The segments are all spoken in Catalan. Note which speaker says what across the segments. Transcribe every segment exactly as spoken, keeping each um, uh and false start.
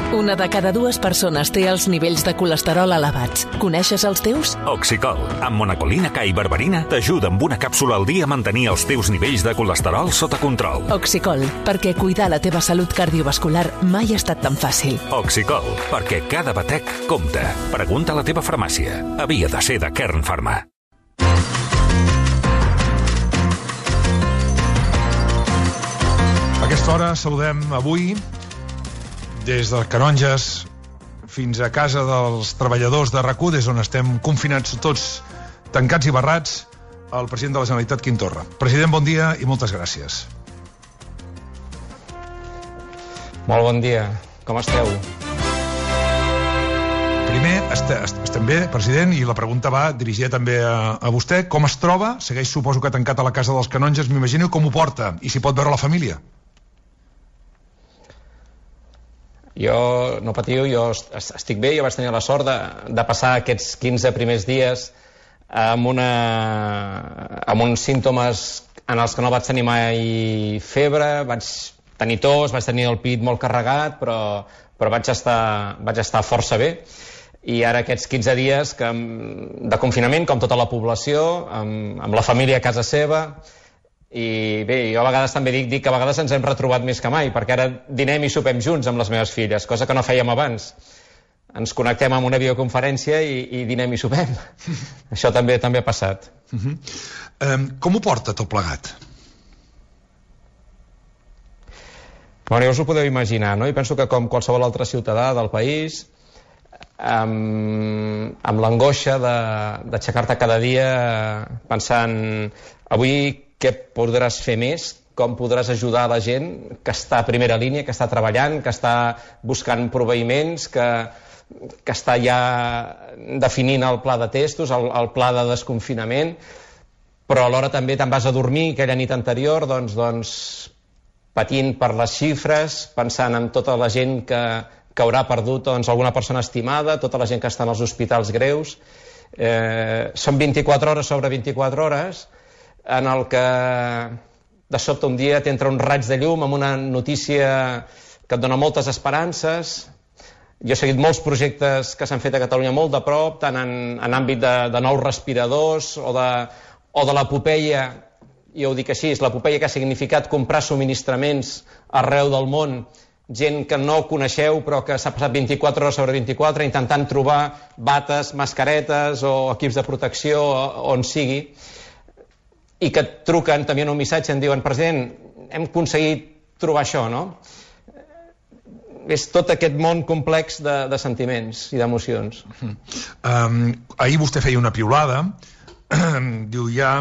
Speaker 1: Una de cada dues persones té els nivells de colesterol elevats. Coneixes els teus?
Speaker 2: Oxicol, amb monacolina K i berberina, t'ajuda amb una càpsula al dia a mantenir els teus nivells de colesterol sota control.
Speaker 1: Oxicol, perquè cuidar la teva salut cardiovascular mai ha estat tan fàcil.
Speaker 2: Oxicol, perquè cada batec compta. Pregunta a la teva farmàcia. Havia de ser de Kern Pharma.
Speaker 3: A aquesta hora saludem avui, des de Canonges fins a casa dels treballadors de RAC u, des on estem confinats tots tancats i barrats, el president de la Generalitat, Quim Torra. President, bon dia i moltes gràcies.
Speaker 4: Molt bon dia. Com esteu?
Speaker 3: Primer, est est estem bé, president, i la pregunta va dirigida també a, a vostè. Com es troba? Segueix, suposo que tancat a la casa dels Canonges, m'imagino. Com ho porta? I si pot veure la família?
Speaker 4: Jo, no patiu, jo estic bé. Jo vaig tenir la sort de, de passar aquests quinze primers dies amb, una, amb uns símptomes en els que no vaig tenir mai febre, vaig tenir tos, vaig tenir el pit molt carregat, però, però vaig, estar, vaig estar força bé. I ara aquests quinze dies que, de confinament, com tota la població, amb, amb la família a casa seva. I bé, jo a vegades també dic, dic que a vegades ens hem retrobat més que mai, perquè ara dinem i sopem junts amb les meves filles, cosa que no fèiem abans. Ens connectem amb una videoconferència i, i dinem i sopem. Això també també ha passat.
Speaker 3: Uh-huh. um, com ho porta tot plegat?
Speaker 4: Bueno, ja us ho podeu imaginar, no? I penso que com qualsevol altre ciutadà del país, amb, amb l'angoixa d'aixecar-te cada dia pensant avui què podràs fer més, com podràs ajudar a la gent que està a primera línia, que està treballant, que està buscant proveïments, que, que està ja definint el pla de testos, el, el pla de desconfinament, però alhora també te'n vas a dormir aquella nit anterior, doncs, doncs patint per les xifres, pensant en tota la gent que, que haurà perdut doncs, alguna persona estimada, tota la gent que està en els hospitals greus. Eh, són vint-i-quatre hores sobre vint-i-quatre hores, en el que de sobte un dia t'entra un raig de llum amb una notícia que et dona moltes esperances. Jo he seguit molts projectes que s'han fet a Catalunya molt de prop, tant en, en àmbit de, de nous respiradors o de, o de l'epopeia, jo ho dic així, l'epopeia que ha significat comprar subministraments arreu del món, gent que no coneixeu però que s'ha passat vint-i-quatre hores sobre vint-i-quatre intentant trobar bates, mascaretes o equips de protecció on sigui, i que et truquen també en un missatge, em diuen, president, hem aconseguit trobar això, no? És tot aquest món complex de, de sentiments i d'emocions.
Speaker 3: Um, ahir vostè feia una piulada, diu, ja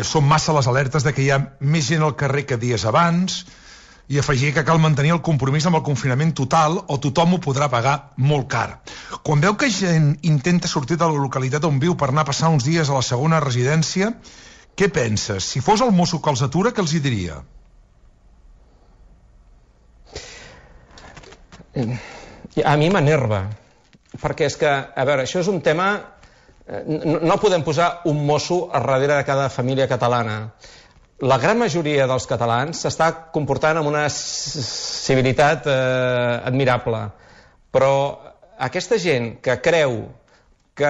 Speaker 3: són massa les alertes de que hi ha més gent al carrer que dies abans, i afegir que cal mantenir el compromís amb el confinament total o tothom ho podrà pagar molt car. Quan veu que gent intenta sortir de la localitat on viu per anar a passar uns dies a la segona residència, què penses? Si fos el mosso que els atura, què els hi diria?
Speaker 4: A mi m'enerva, perquè és que, a veure, això és un tema... No, no podem posar un mosso a darrere de cada família catalana. La gran majoria dels catalans s'està comportant amb una civilitat eh, admirable, però aquesta gent que creu Que,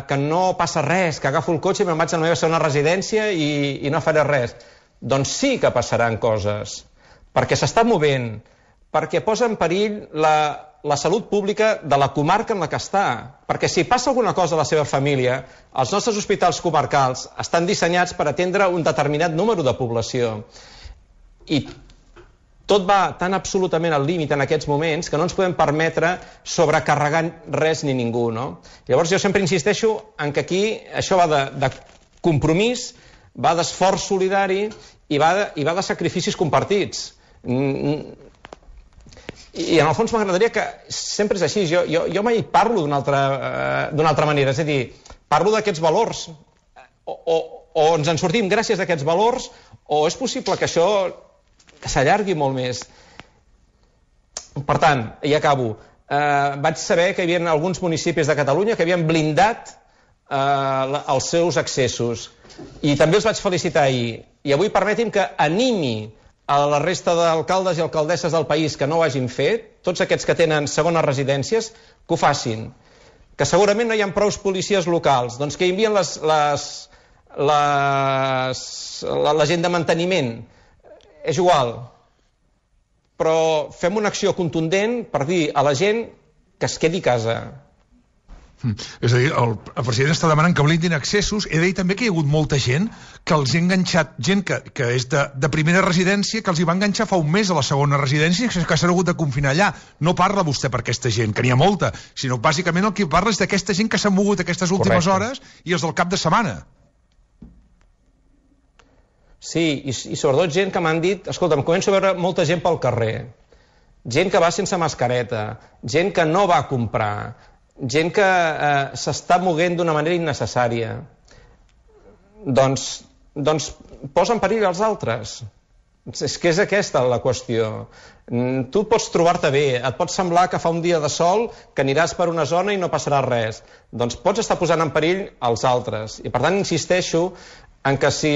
Speaker 4: que no passa res, que agafo el cotxe i me'n vaig a la meva segona residència i, i no faré res. Doncs sí que passaran coses, perquè s'està movent, perquè posa en perill la, la salut pública de la comarca en la que està, perquè si passa alguna cosa a la seva família, els nostres hospitals comarcals estan dissenyats per atendre un determinat número de població. I tot va tan absolutament al límit en aquests moments que no ens podem permetre sobrecarregar res ni ningú, no? Llavors jo sempre insisteixo en que aquí això va de, de compromís, va d'esforç solidari i va de, i va de sacrificis compartits. I en el fons m'agradaria que sempre és així, jo, jo, jo mai parlo d'una altra, uh, d'una altra manera, és a dir, parlo d'aquests valors, o, o, o ens en sortim gràcies a aquests valors, o és possible que això s'allargui molt més. Per tant, i acabo, eh, vaig saber que hi havia alguns municipis de Catalunya que havien blindat eh, els seus accessos, i també els vaig felicitar ahir. I avui permeti'm que animi a la resta d'alcaldes i alcaldesses del país que no ho hagin fet, tots aquests que tenen segones residències, que ho facin. Que segurament no hi ha prous policies locals, doncs que envien les, les, les, la, la gent de manteniment. És igual. Però fem una acció contundent per dir a la gent que es quedi a casa.
Speaker 3: Mm. És a dir, el, el president està demanant que blindin accessos. He de dir també que hi ha hagut molta gent que els ha enganxat, gent que, que és de, de primera residència, que els hi va enganxar fa un mes a la segona residència, que s'han hagut de confinar allà. No parla vostè per aquesta gent, que n'hi ha molta, sinó bàsicament el que parla és d'aquesta gent que s'ha mogut aquestes últimes Correcte. hores i els del cap de setmana.
Speaker 4: Sí, i, i sobretot gent que m'han dit, escolta'm, començo a veure molta gent pel carrer, gent que va sense mascareta, gent que no va a comprar, gent que eh, s'està moguent d'una manera innecessària. Doncs, doncs posa en perill els altres. És que és aquesta la qüestió. Tu pots trobar-te bé, et pot semblar que fa un dia de sol, que aniràs per una zona i no passarà res. Doncs pots estar posant en perill els altres. I per tant insisteixo en que si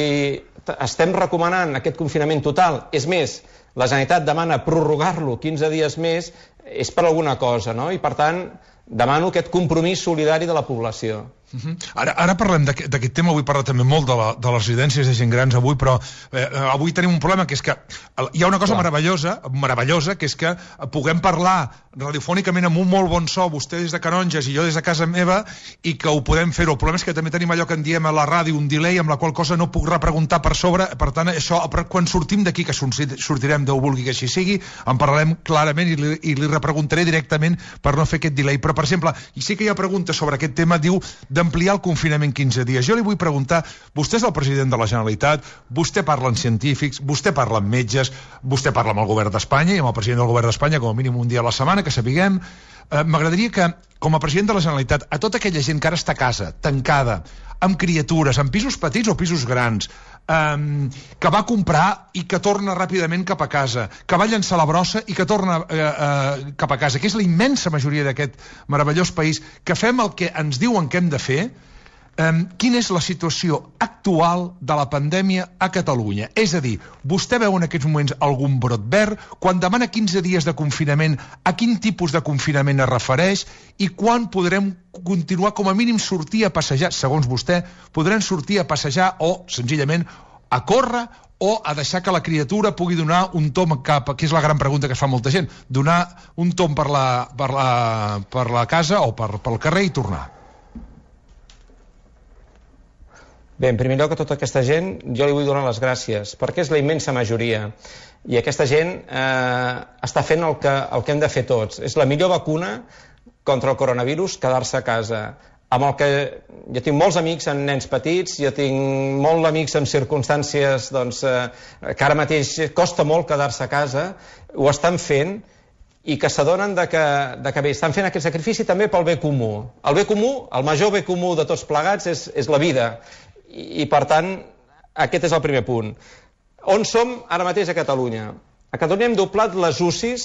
Speaker 4: estem recomanant aquest confinament total, és més, la Generalitat demana prorrogar-lo quinze dies més, és per alguna cosa, no? I per tant demano aquest compromís solidari de la població.
Speaker 3: Uh-huh. Ara, ara parlem d'aquest tema, avui parla també molt de, la, de les residències de gent grans avui, però eh, avui tenim un problema, que és que hi ha una cosa meravellosa, meravellosa, que és que puguem parlar radiofònicament amb un molt bon so, vostè des de Canonges i jo des de casa meva, i que ho podem fer-ho. El problema és que també tenim allò que en diem a la ràdio, un delay, amb la qual cosa no puc repreguntar per sobre, per tant, això, quan sortim d'aquí, que sortirem Déu vulgui que així sigui, en parlarem clarament i li, i li repreguntaré directament per no fer aquest delay. Però, per exemple, i sí que hi ha preguntes sobre aquest tema, diu d'ampliar el confinament quinze dies. Jo li vull preguntar, vostè és el president de la Generalitat, vostè parla amb científics, vostè parla amb metges, vostè parla amb el govern d'Espanya i amb el president del govern d'Espanya com a mínim un dia a la setmana, que sapiguem. Eh, M'agradaria que, com a president de la Generalitat, a tota aquella gent que ara està a casa, tancada, amb criatures, amb pisos petits o pisos grans, eh, que va comprar i que torna ràpidament cap a casa, que va llançar la brossa i que torna eh, eh, cap a casa, que és la immensa majoria d'aquest meravellós país, que fem el que ens diuen que hem de fer. Um, quina és la situació actual de la pandèmia a Catalunya? És a dir, vostè veu en aquests moments algun brot verd? Quan demana quinze dies de confinament, a quin tipus de confinament es refereix? I quan podrem continuar, com a mínim, sortir a passejar, segons vostè, podrem sortir a passejar o, senzillament, a córrer o a deixar que la criatura pugui donar un tomb cap, que és la gran pregunta que es fa molta gent, donar un tomb per la, per la, per la casa o per, pel carrer i tornar?
Speaker 4: Bé, en primer lloc, a tota aquesta gent jo li vull donar les gràcies, perquè és la immensa majoria. I aquesta gent eh, està fent el que, el que hem de fer tots. És la millor vacuna contra el coronavirus, quedar-se a casa. Amb el que jo tinc molts amics amb nens petits, jo tinc molts amics en circumstàncies doncs, eh, que ara mateix costa molt quedar-se a casa, ho estan fent i que s'adonen de que, de que bé, estan fent aquest sacrifici també pel bé comú. El bé comú, el major bé comú de tots plegats és, és la vida. I, per tant, aquest és el primer punt. On som ara mateix a Catalunya? A Catalunya hem doblat les U C Is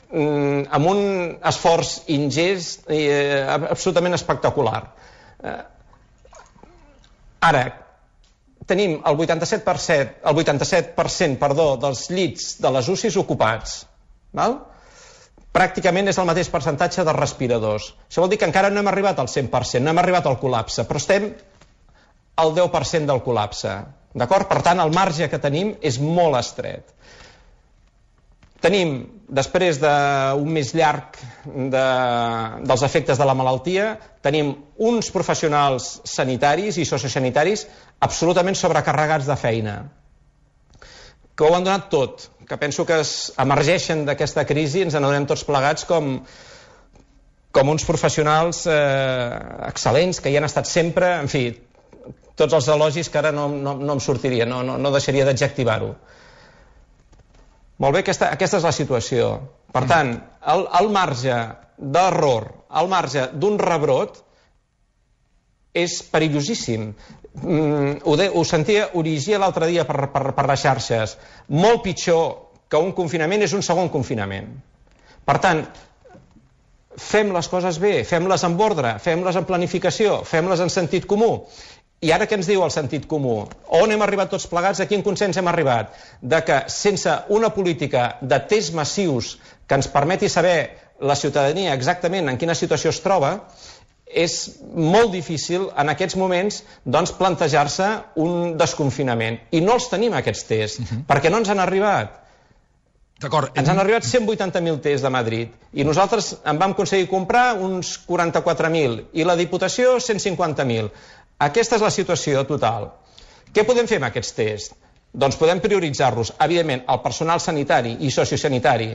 Speaker 4: mm, amb un esforç ingest i eh, absolutament espectacular. Eh, ara, tenim el vuitanta-set per cent, el vuitanta-set per cent perdó, dels llits de les U C Is ocupats. Val? Pràcticament és el mateix percentatge de respiradors. Això vol dir que encara no hem arribat al cent per cent, no hem arribat al col·lapse, però estem el deu per cent del col·lapse. D'acord? Per tant, el marge que tenim és molt estret. Tenim, després d'un mes llarg de, dels efectes de la malaltia, tenim uns professionals sanitaris i sociosanitaris absolutament sobrecarregats de feina, que ho han donat tot, que penso que es emergeixen d'aquesta crisi, ens n'adonem tots plegats com, com uns professionals eh, excel·lents, que hi han estat sempre, en fi, tots els elogis que ara no, no, no em sortiria, no, no, no deixaria d'adjectivar-ho. Molt bé, aquesta, aquesta és la situació. Per tant, el, el marge d'error, el marge d'un rebrot és perillosíssim. Mm, ho, de, ho sentia, ho llegia l'altre dia per, per, per les xarxes. Molt pitjor que un confinament és un segon confinament. Per tant, fem les coses bé, fem-les amb ordre, fem-les en planificació, fem-les en sentit comú I ara què ens diu el sentit comú? On hem arribat tots plegats? A quin consens hem arribat? De que sense una política de tests massius que ens permeti saber la ciutadania exactament en quina situació es troba, és molt difícil en aquests moments doncs, plantejar-se un desconfinament. I no els tenim, aquests tests, uh-huh. perquè no ens han arribat.
Speaker 3: D'acord.
Speaker 4: Ens han arribat cent vuitanta mil tests de Madrid i nosaltres en vam aconseguir comprar uns quaranta-quatre mil i la Diputació cent cinquanta mil. Aquesta és la situació total. Què podem fer amb aquests tests? Doncs podem prioritzar-los. Evidentment, el personal sanitari i sociosanitari,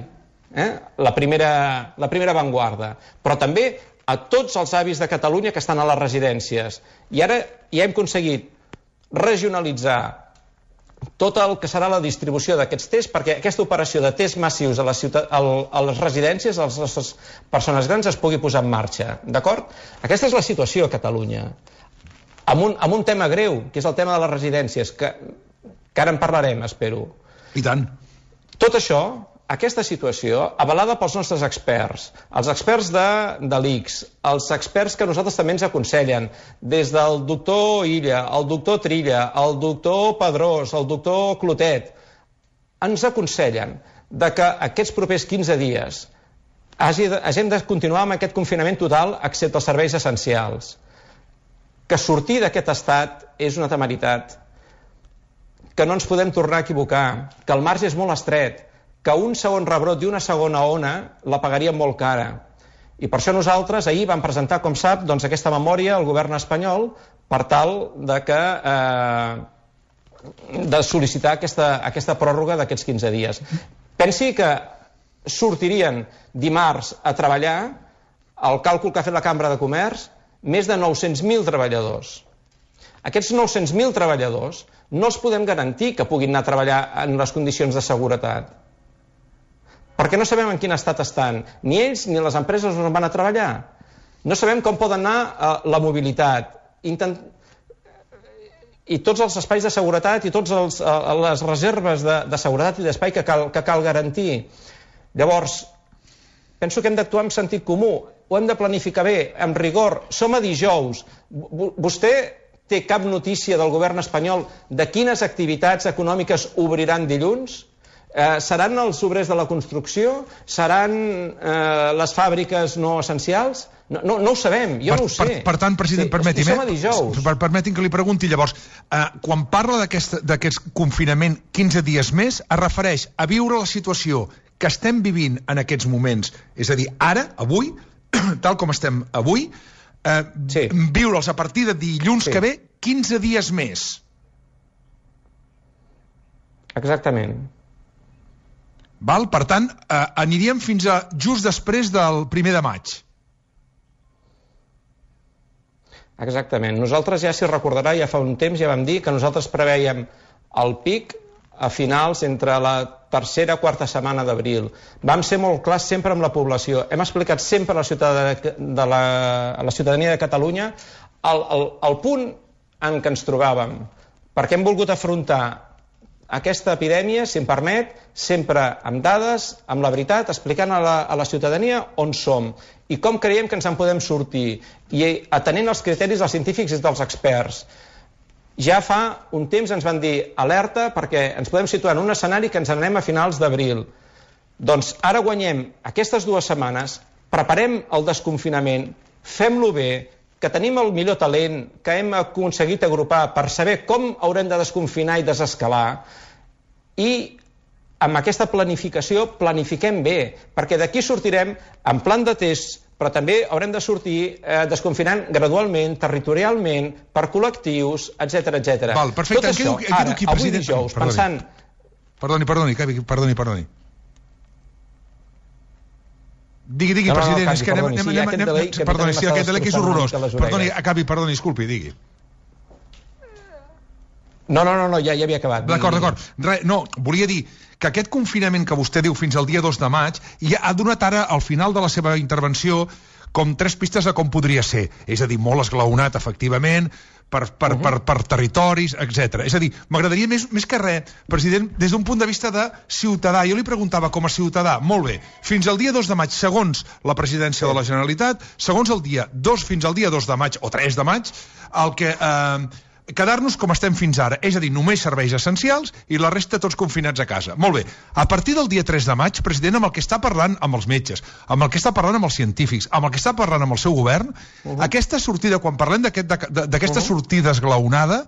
Speaker 4: eh? la, primera, la primera avantguarda, però també a tots els avis de Catalunya que estan a les residències. I ara ja hem aconseguit regionalitzar tot el que serà la distribució d'aquests tests perquè aquesta operació de tests massius a les, ciutat, a les residències, a les nostres persones grans, es pugui posar en marxa. D'acord? Aquesta és la situació a Catalunya. Amb un, amb un tema greu, que és el tema de les residències, que, que ara en parlarem, espero.
Speaker 3: I tant.
Speaker 4: Tot això, aquesta situació, avalada pels nostres experts, els experts de, de l'I C S, els experts que nosaltres també ens aconsellen, des del doctor Illa, el doctor Trilla, el doctor Pedrós, el doctor Clotet, ens aconsellen de que aquests propers quinze dies hagi de, hagin de continuar amb aquest confinament total, excepte els serveis essencials. Que sortir d'aquest estat és una temeritat, que no ens podem tornar a equivocar, que el marge és molt estret, que un segon rebrot i una segona ona la pagaríem molt cara. I per això nosaltres ahir vam presentar, com sap, doncs, aquesta memòria al govern espanyol per tal de, que, eh, de sol·licitar aquesta, aquesta pròrroga d'aquests quinze dies. Pensi que sortirien dimarts a treballar, el càlcul que ha fet la Cambra de Comerç, més de nou-cents mil treballadors. Aquests nou-cents mil treballadors no els podem garantir que puguin anar a treballar en les condicions de seguretat. Perquè no sabem en quin estat estan. Ni ells ni les empreses on van a treballar. No sabem com poden anar a la mobilitat. Intent... I tots els espais de seguretat i totes les reserves de, de seguretat i d'espai que cal, que cal garantir. Llavors, penso que hem d'actuar amb sentit comú. Ho hem de planificar bé, amb rigor. Som a dijous. Vostè té cap notícia del govern espanyol de quines activitats econòmiques obriran dilluns? Eh, seran els obrers de la construcció? Seran eh, les fàbriques no essencials? No, no, no ho sabem, jo per, no ho sé.
Speaker 3: Per, per tant, president, sí, permeti'm,
Speaker 4: som a dijous.
Speaker 3: Per, permeti'm que li pregunti llavors, eh, quan parla d'aquest confinament quinze dies més, es refereix a viure la situació que estem vivint en aquests moments, és a dir, ara, avui, tal com estem avui, eh, sí. viure'ls a partir de dilluns sí. que ve quinze dies més.
Speaker 4: Exactament.
Speaker 3: Val? Per tant, eh, aniríem fins a just després del primer de maig.
Speaker 4: Exactament. Nosaltres ja, si recordarà, ja fa un temps ja vam dir que nosaltres preveiem el pic a finals entre la tercera o quarta setmana d'abril. Vam ser molt clars sempre amb la població. Hem explicat sempre a la ciutadania de, la, a la ciutadania de Catalunya el, el, el punt en què ens trobàvem, perquè hem volgut afrontar aquesta epidèmia, si em permet, sempre amb dades, amb la veritat, explicant a la, a la ciutadania on som i com creiem que ens en podem sortir, i atenent els criteris dels científics i dels experts. Ja fa un temps ens van dir alerta perquè ens podem situar en un escenari que ens anem a finals d'abril. Doncs ara guanyem aquestes dues setmanes, preparem el desconfinament, fem-lo bé, que tenim el millor talent que hem aconseguit agrupar per saber com haurem de desconfinar i desescalar, i amb aquesta planificació planifiquem bé, perquè d'aquí sortirem en plan de test, però també haurem de sortir eh, desconfinant gradualment, territorialment, per col·lectius, etcètera, etcètera.
Speaker 3: Val, perfecte.
Speaker 4: Tot això,
Speaker 3: quedo,
Speaker 4: ara,
Speaker 3: aquí,
Speaker 4: avui
Speaker 3: president.
Speaker 4: dijous,
Speaker 3: Perdoni.
Speaker 4: pensant...
Speaker 3: Perdoni, perdoni, perdoni, perdoni. Digui, digui,
Speaker 4: no, no,
Speaker 3: president,
Speaker 4: no,
Speaker 3: és que anem...
Speaker 4: perdoni,
Speaker 3: anem,
Speaker 4: sí,
Speaker 3: anem,
Speaker 4: aquest
Speaker 3: anem,
Speaker 4: delay, que
Speaker 3: perdoni, sí, aquest delay que és horrorós. Perdoni,
Speaker 4: orelles.
Speaker 3: acabi, perdoni, disculpi, digui.
Speaker 4: No, no, no, no ja, ja havia acabat.
Speaker 3: D'acord, d'acord. No, volia dir que aquest confinament que vostè diu fins al dia dos de maig ja ha donat ara, al final de la seva intervenció, com tres pistes de com podria ser. És a dir, molt esglaonat, efectivament, per, per, uh -huh. per, per territoris, etcètera. És a dir, m'agradaria més, més que res, president, des d'un punt de vista de ciutadà. Jo li preguntava, com a ciutadà, molt bé, fins al dia dos de maig, segons la presidència sí. de la Generalitat, segons el dia dos fins al dia dos de maig, o tres de maig, el que... Eh, quedar-nos com estem fins ara, és a dir, només serveis essencials i la resta tots confinats a casa. Molt bé, a partir del dia tres de maig, president, amb el que està parlant amb els metges, amb el que està parlant amb els científics, amb el que està parlant amb el seu govern, uh-huh. aquesta sortida, quan parlem d'aquesta uh-huh. sortida esglaonada,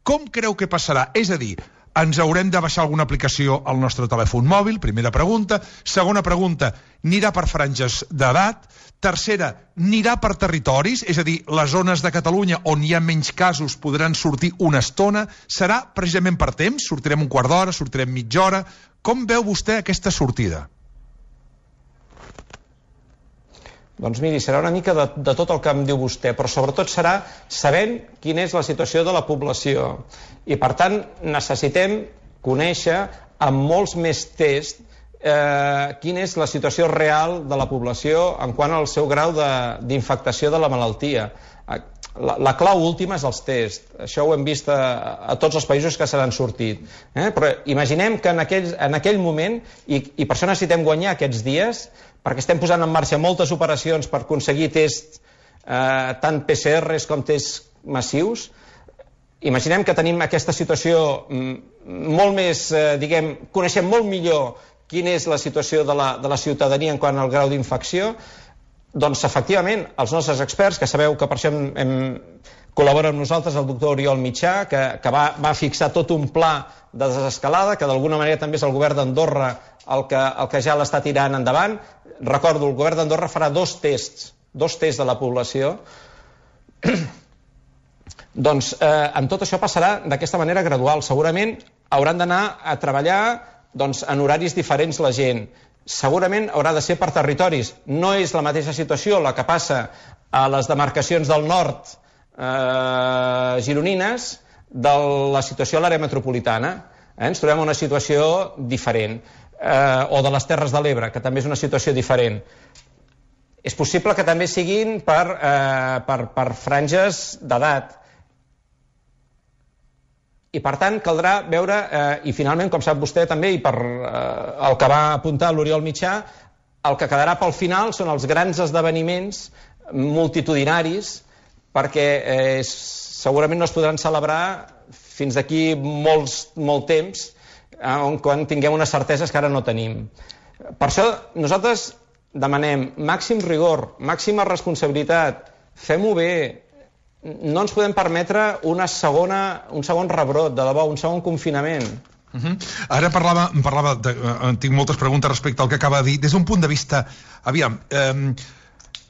Speaker 3: com creu que passarà? És a dir, ens haurem de baixar alguna aplicació al nostre telèfon mòbil? Primera pregunta. Segona pregunta, anirà per franges d'edat? Tercera, anirà per territoris? És a dir, les zones de Catalunya on hi ha menys casos podran sortir una estona? Serà precisament per temps? Sortirem un quart d'hora? Sortirem mitja hora? Com veu vostè aquesta sortida?
Speaker 4: Doncs miri, serà una mica de, de tot el que em diu vostè, però sobretot serà sabent quina és la situació de la població. I per tant necessitem conèixer amb molts més tests eh, quina és la situació real de la població en quant al seu grau d'infectació de, de la malaltia. La, la clau última és els tests. Això ho hem vist a, a tots els països que se n'han sortit. Eh? Però imaginem que en aquell, en aquell moment, i, i per això necessitem guanyar aquests dies, perquè estem posant en marxa moltes operacions per aconseguir tests, eh, tant P C Rs com tests massius. Imaginem que tenim aquesta situació molt més, eh, diguem, coneixem molt millor quina és la situació de la, de la ciutadania en quant al grau d'infecció. Doncs, efectivament, els nostres experts, que sabeu que per això hem, hem col·labora amb nosaltres el doctor Oriol Mitjà, que, que va, va fixar tot un pla de desescalada, que d'alguna manera també és el govern d'Andorra el que, el que ja l'està tirant endavant. Recordo, el govern d'Andorra farà dos tests, dos tests de la població. Doncs eh, amb tot això passarà d'aquesta manera gradual. Segurament hauran d'anar a treballar doncs, en horaris diferents la gent. Segurament haurà de ser per territoris. No és la mateixa situació la que passa a les demarcacions del nord eh, gironines de la situació a l'àrea metropolitana. Eh? Ens trobem en una situació diferent. Eh, o de les Terres de l'Ebre, que també és una situació diferent. És possible que també siguin per, eh, per, per franges d'edat. I per tant caldrà veure, eh, i finalment, com sap vostè també, i per eh, el que va apuntar l'Oriol Mitjà, el que quedarà pel final són els grans esdeveniments multitudinaris, perquè eh, segurament no es podran celebrar fins d'aquí molts, molt temps, on quan tinguem unes certeses que ara no tenim. Per això nosaltres demanem màxim rigor, màxima responsabilitat, fem-ho bé, no ens podem permetre una segona, un segon rebrot, de debò, un segon confinament.
Speaker 3: Uh-huh. Ara parlava, parlava de, uh, tinc moltes preguntes respecte al que acaba de dir, des d'un punt de vista, aviam, eh,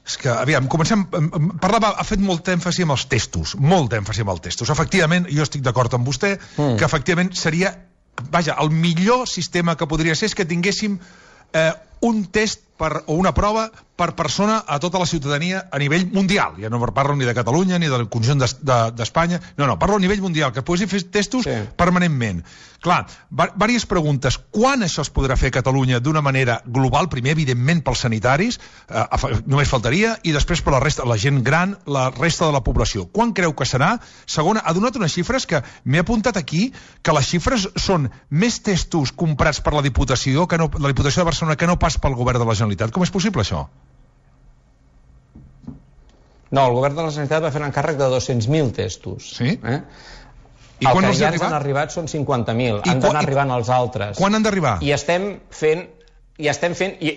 Speaker 3: és que, aviam, comencem, parlava, ha fet molt èmfasi amb els testos, molt èmfasi amb els testos. Efectivament, jo estic d'acord amb vostè, mm. que efectivament seria, vaja, el millor sistema que podria ser és que tinguéssim eh, un test per, o una prova per persona a tota la ciutadania a nivell mundial. Ja no parlo ni de Catalunya ni del conjunt d'Espanya, no, no, parlo a nivell mundial, que poguessin fer testos sí. permanentment. Clar, diverses preguntes. Quan això es podrà fer a Catalunya d'una manera global? Primer, evidentment, pels sanitaris, eh, només faltaria, i després per la resta, la gent gran, la resta de la població. Quan creu que serà? Segona, ha donat unes xifres que m'he apuntat aquí, que les xifres són més testos comprats per la Diputació, que no, la Diputació de Barcelona, que no pas pel govern de la Generalitat. Com és possible això?
Speaker 4: No, el govern de la Generalitat va fer un encàrrec de dos-cents mil testos.
Speaker 3: Sí?
Speaker 4: Eh?
Speaker 3: I
Speaker 4: el
Speaker 3: quan
Speaker 4: que
Speaker 3: els
Speaker 4: ja
Speaker 3: ha
Speaker 4: ens han arribat són cinquanta mil. Han d'anar arribant els altres.
Speaker 3: Quan han d'arribar?
Speaker 4: I estem fent... I estem fent... I,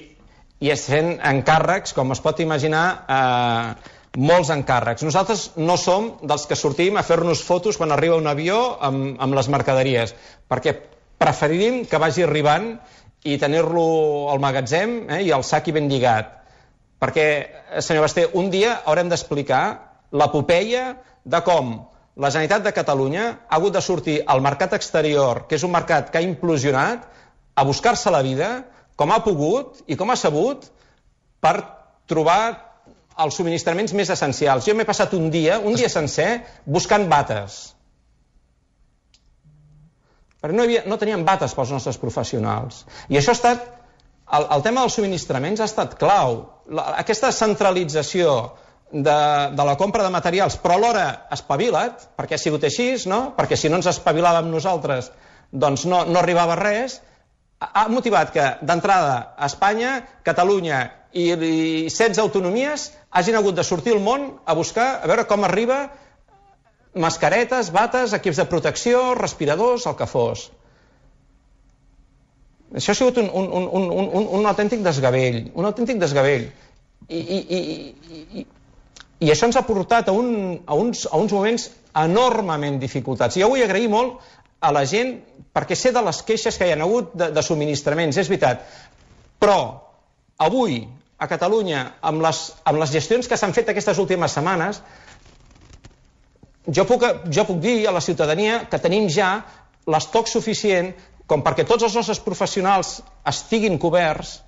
Speaker 4: i estem fent encàrrecs, com es pot imaginar, eh, molts encàrrecs. Nosaltres no som dels que sortim a fer-nos fotos quan arriba un avió amb, amb les mercaderies, perquè preferirim que vagi arribant i tenir-lo al magatzem eh, i el sac ben lligat. Perquè, senyor Basté, un dia haurem d'explicar l'epopeia de com la Generalitat de Catalunya ha hagut de sortir al mercat exterior, que és un mercat que ha implosionat, a buscar-se la vida, com ha pogut i com ha sabut, per trobar els subministraments més essencials. Jo m'he passat un dia, un dia sencer, buscant bates. Perquè no, havia, no teníem bates pels nostres professionals. I això ha estat... El, el tema dels subministraments ha estat clau. La, aquesta centralització de, de la compra de materials, però alhora espavila't, perquè ha sigut així, no? Perquè si no ens espavilàvem nosaltres, doncs no, no arribava res, ha motivat que, d'entrada, a Espanya, Catalunya i, i setze autonomies hagin hagut de sortir al món a buscar, a veure com arriba mascaretes, bates, equips de protecció, respiradors, el que fos. Això ha sigut un, un, un, un, un, un autèntic desgavell, un autèntic desgavell. I, i, i, i, i això ens ha portat a, un, a, uns, a uns moments enormement dificultats. Jo vull agrair molt a la gent, perquè sé de les queixes que hi ha hagut de, de subministraments, és veritat, però avui a Catalunya, amb les, amb les gestions que s'han fet aquestes últimes setmanes, jo puc, jo puc dir a la ciutadania que tenim ja l'estoc suficient com perquè tots els nostres professionals estiguin coberts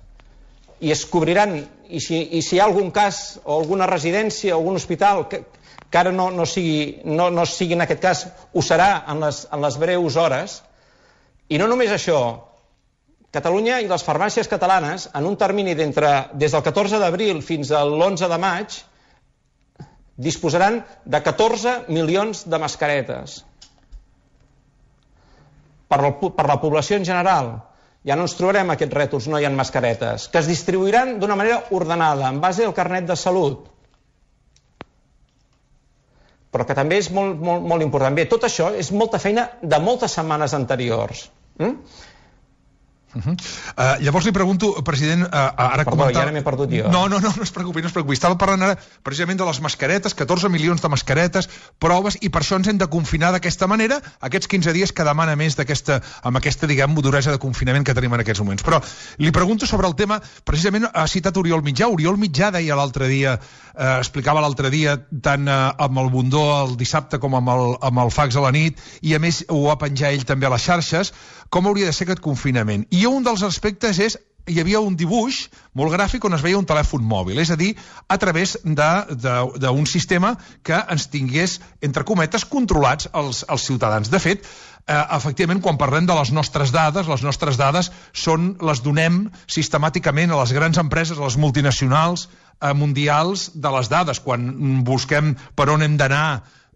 Speaker 4: i es cobriran, i si, i si hi ha algun cas o alguna residència o algun hospital que, que ara no, no, sigui, no, no sigui en aquest cas, ho serà en les, en les breus hores. I no només això, Catalunya i les farmàcies catalanes, en un termini d'entre des del catorze d'abril fins a l'onze de maig, disposaran de catorze milions de mascaretes. Per la, per la població en general, ja no ens trobarem aquests rètols, no hi ha mascaretes, que es distribuiran d'una manera ordenada, en base al carnet de salut. Però que també és molt, molt, molt important. Bé, tot això és molta feina de moltes setmanes anteriors. Mm?
Speaker 3: Uh -huh. uh, llavors li pregunto, president, uh, ara
Speaker 4: Perdó,
Speaker 3: comentar...
Speaker 4: ja ara m'he perdut jo.
Speaker 3: No, no, no, no es preocupi, no es preocupi. Estava parlant ara precisament de les mascaretes, catorze milions de mascaretes, proves, i per això ens hem de confinar d'aquesta manera, aquests quinze dies que demana més d'aquesta, amb aquesta, diguem, duresa de confinament que tenim en aquests moments. Però li pregunto sobre el tema, precisament ha citat Oriol Mitjà. Oriol Mitjà deia l'altre dia, eh, explicava l'altre dia, tant eh, amb el Bundó el dissabte com amb el, amb el fax a la nit, i a més ho va penjar ell també a les xarxes, com hauria de ser aquest confinament. I un dels aspectes és, hi havia un dibuix molt gràfic on es veia un telèfon mòbil, és a dir, a través d'un sistema que ens tingués, entre cometes, controlats els, els ciutadans. De fet, eh, efectivament, quan parlem de les nostres dades, les nostres dades són, les donem sistemàticament a les grans empreses, a les multinacionals eh, mundials de les dades. Quan busquem per on hem d'anar,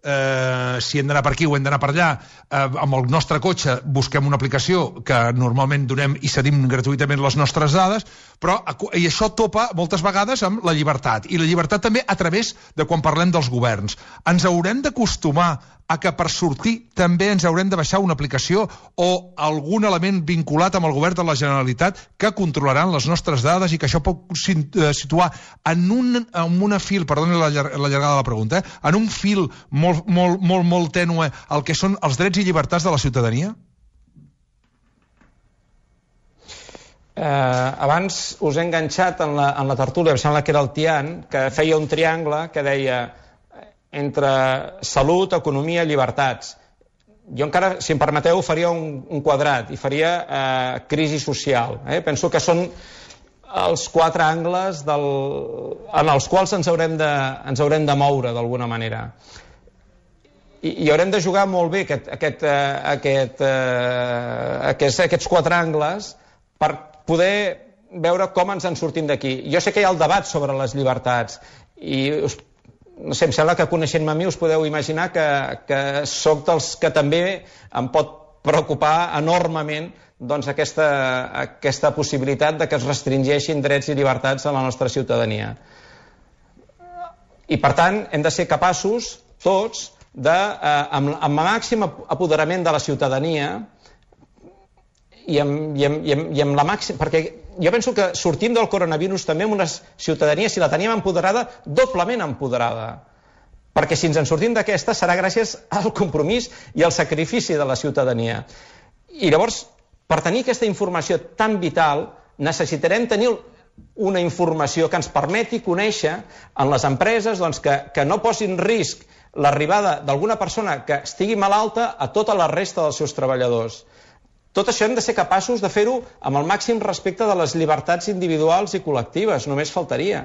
Speaker 3: Eh, si hem d'anar per aquí o hem d'anar per allà, eh, amb el nostre cotxe busquem una aplicació que normalment donem i cedim gratuïtament les nostres dades, però i això topa moltes vegades amb la llibertat, i la llibertat també a través de quan parlem dels governs. Ens haurem d'acostumar a que per sortir també ens haurem de baixar una aplicació o algun element vinculat amb el govern de la Generalitat que controlaran les nostres dades i que això pot situar en un, en una fil, perdoni la, la llargada de la pregunta, eh? en un fil molt, molt, molt, molt tènue el que són els drets i llibertats de la ciutadania?
Speaker 4: Eh, abans us he enganxat en la, en la tertúlia, em sembla que era el Tian, que feia un triangle que deia entre salut, economia i llibertats. Jo encara, si em permeteu, faria un, un quadrat i faria eh, crisi social. Eh? Penso que són els quatre angles del, en els quals ens haurem de, ens haurem de moure d'alguna manera. I, i haurem de jugar molt bé aquest, aquest, eh, aquest, eh, aquests, aquests quatre angles per poder veure com ens en sortim d'aquí. Jo sé que hi ha el debat sobre les llibertats i us no sé, em sembla que coneixent-me a mi us podeu imaginar que, que sóc dels que també em pot preocupar enormement doncs, aquesta, aquesta possibilitat de que es restringeixin drets i llibertats a la nostra ciutadania. I per tant hem de ser capaços tots de, eh, amb, amb el màxim apoderament de la ciutadania i amb, i amb, i amb, i amb la màxima, perquè jo penso que sortim del coronavirus també amb una ciutadania, si la teníem empoderada, doblement empoderada. Perquè si ens en sortim d'aquesta serà gràcies al compromís i al sacrifici de la ciutadania. I llavors, per tenir aquesta informació tan vital, necessitarem tenir una informació que ens permeti conèixer en les empreses doncs, que, que no posin en risc l'arribada d'alguna persona que estigui malalta a tota la resta dels seus treballadors. Tot això hem de ser capaços de fer-ho amb el màxim respecte de les llibertats individuals i col·lectives, només faltaria.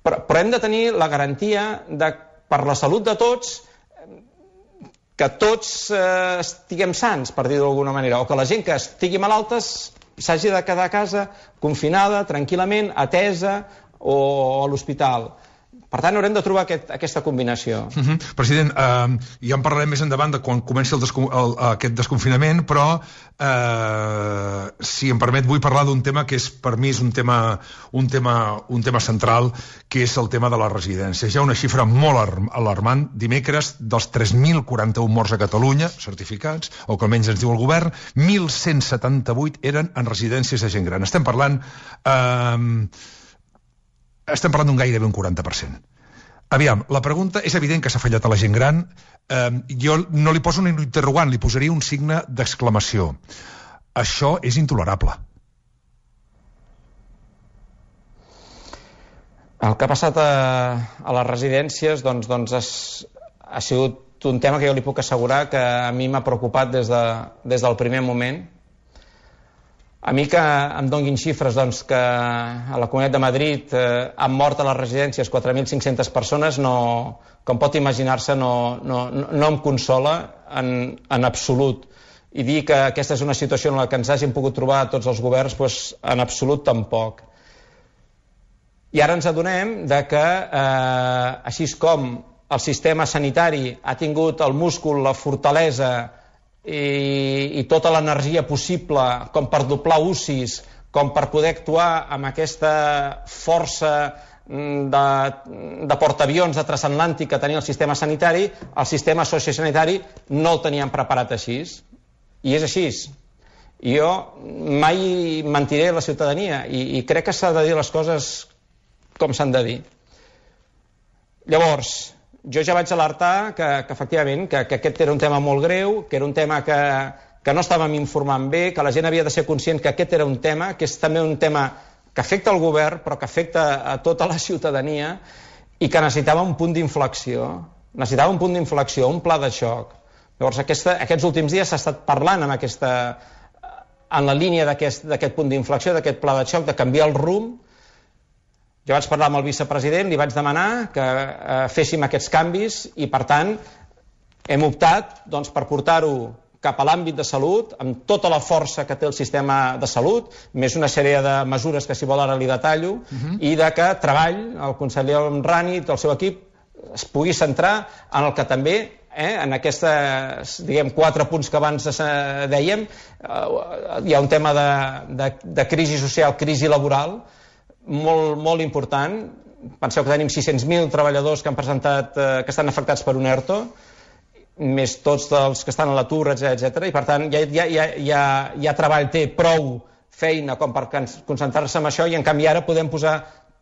Speaker 4: Però, però hem de tenir la garantia de, per la salut de tots, que tots eh, estiguem sans, per dir-ho d'alguna manera, o que la gent que estigui malalta s'hagi de quedar a casa confinada, tranquil·lament, atesa o a l'hospital. Per tant, haurem de trobar aquest, aquesta combinació.
Speaker 3: Uh -huh. President, eh, ja en parlarem més endavant de quan comenci el descon el, aquest desconfinament, però eh, si em permet vull parlar d'un tema que és per mi és un tema, un, tema, un tema central, que és el tema de les residències. Hi ha una xifra molt alarmant. Dimecres, dels tres mil quaranta-un morts a Catalunya, certificats, o que almenys ens diu el govern, mil cent setanta-vuit eren en residències de gent gran. Estem parlant... Eh, estem parlant d'un gairebé un quaranta per cent. Aviam, la pregunta és evident que s'ha fallat a la gent gran. Eh, jo no li poso un interrogant, li posaria un signe d'exclamació. Això és intolerable.
Speaker 4: El que ha passat a, a les residències doncs, doncs es, ha sigut un tema que jo li puc assegurar que a mi m'ha preocupat des, de, des del primer moment. A mi que em donguin xifres doncs, que a la Comunitat de Madrid eh, han mort a les residències quatre mil cinc-centes persones, no, com pot imaginar-se, no, no, no em consola en, en absolut. I dir que aquesta és una situació en la que ens hàgim pogut trobar tots els governs, doncs, en absolut tampoc. I ara ens adonem de que, eh, així com el sistema sanitari ha tingut el múscul, la fortalesa i, i tota l'energia possible com per doblar U C Is, com per poder actuar amb aquesta força de, de portaavions de transatlàntic que tenia el sistema sanitari, el sistema sociosanitari no el teníem preparat així. I és així. I jo mai mentiré a la ciutadania i, i crec que s'ha de dir les coses com s'han de dir. Llavors, jo ja vaig alertar que, que efectivament, que, que aquest era un tema molt greu, que era un tema que, que no estàvem informant bé, que la gent havia de ser conscient que aquest era un tema, que és també un tema que afecta el govern, però que afecta a tota la ciutadania i que necessitava un punt d'inflexió. Necessitava un punt d'inflexió, un pla de xoc. Llavors, aquesta, aquests últims dies s'ha estat parlant amb aquesta, en la línia d'aquest punt d'inflexió, d'aquest pla de xoc, de canviar el rumb. Jo vaig parlar amb el vicepresident, li vaig demanar que eh, féssim aquests canvis i, per tant, hem optat doncs, per portar-ho cap a l'àmbit de salut, amb tota la força que té el sistema de salut, més una sèrie de mesures que, si vol, ara li detallo, uh-huh. i de que treball, el conseller Homrani i el seu equip es pugui centrar en el que també, eh, en aquestes, diguem, quatre punts que abans dèiem, eh, hi ha un tema de, de, de crisi social, crisi laboral, molt, molt important. Penseu que tenim sis-cents mil treballadors que han presentat, eh, que estan afectats per un ERTO, més tots els que estan a l'atur, etcètera. I per tant ja, ja, ja, ja, ja treball té prou feina com per concentrar-se en això, i en canvi ara podem posar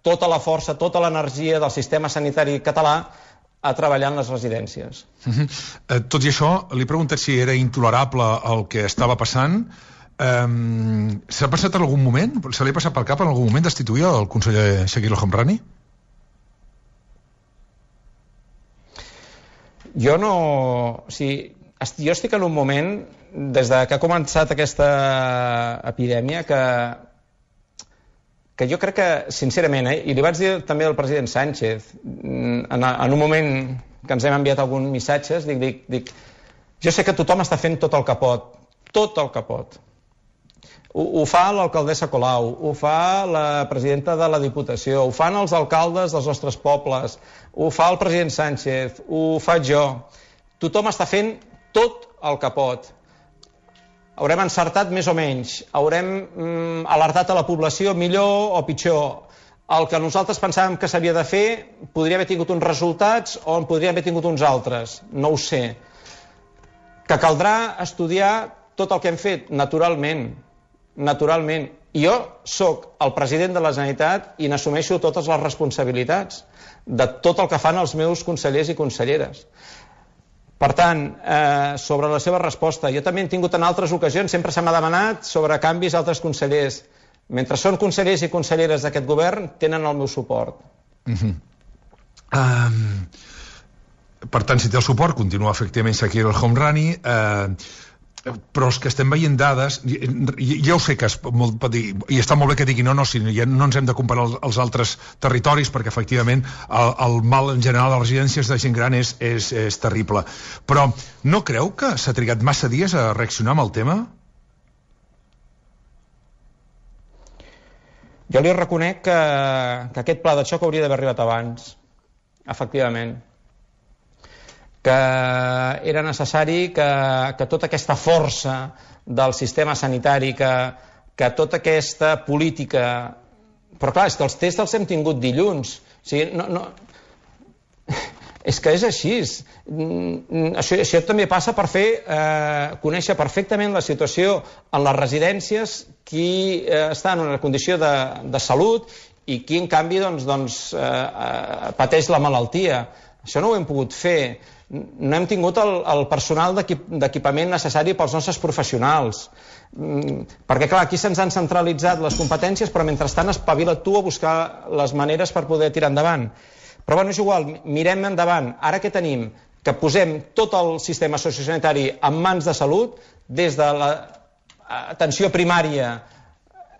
Speaker 4: tota la força, tota l'energia del sistema sanitari català a treballar en les residències.
Speaker 3: Uh-huh. eh, tot i això, li he preguntat si era intolerable el que estava passant. Um, S'ha passat en algun moment? Se li ha passat pel cap en algun moment destituir el conseller Chakir El Homrani?
Speaker 4: Jo no... O sigui, jo estic en un moment, des de que ha començat aquesta epidèmia, que, que jo crec que, sincerament, eh, i li vaig dir també al president Sánchez, en, en un moment que ens hem enviat alguns missatges, dic, dic, dic, jo sé que tothom està fent tot el que pot, tot el que pot. Ho, ho fa l'alcaldessa Colau, ho fa la presidenta de la Diputació, ho fan els alcaldes dels nostres pobles, ho fa el president Sánchez, ho faig jo. Tothom està fent tot el que pot. Haurem encertat més o menys, haurem mm, alertat a la població millor o pitjor. El que nosaltres pensàvem que s'havia de fer podria haver tingut uns resultats o en podria haver tingut uns altres, no ho sé. Que caldrà estudiar tot el que hem fet, naturalment. Naturalment. I jo sóc el president de la Generalitat i n'assumeixo totes les responsabilitats de tot el que fan els meus consellers i conselleres. Per tant, eh, sobre la seva resposta, jo també he tingut en altres ocasions, sempre se m'ha demanat sobre canvis a altres consellers. Mentre són consellers i conselleres d'aquest govern, tenen el meu suport.
Speaker 3: Uh-huh. um, per tant, si té el suport, continua efectivament Chakir El Homrani. Eh, però els que estem veient dades, ja ho sé que es pot dir, i està molt bé que digui no, no, si ja no ens hem de comparar els altres territoris, perquè efectivament el, el mal en general a les residències de gent gran és, és, és terrible, però no creu que s'ha trigat massa dies a reaccionar amb el tema?
Speaker 4: Jo li reconec que, que aquest pla de xoc hauria d'haver arribat abans. efectivament, que era necessari que, que tota aquesta força del sistema sanitari, que, que tota aquesta política... Però clar, és que els tests els hem tingut dilluns. O sigui, no, no... És que és així. Això, això també passa per fer eh, conèixer perfectament la situació en les residències, qui eh, està en una condició de, de salut i qui en canvi doncs, doncs, eh, pateix la malaltia. Això no ho hem pogut fer. No hem tingut el, el personal d'equipament necessari pels nostres professionals. Perquè clar, aquí se'ns han centralitzat les competències, però mentrestant espavila't tu a buscar les maneres per poder tirar endavant. Però bueno, és igual, mirem endavant. Ara què tenim? Que posem tot el sistema sociosanitari en mans de salut, des de l'atenció primària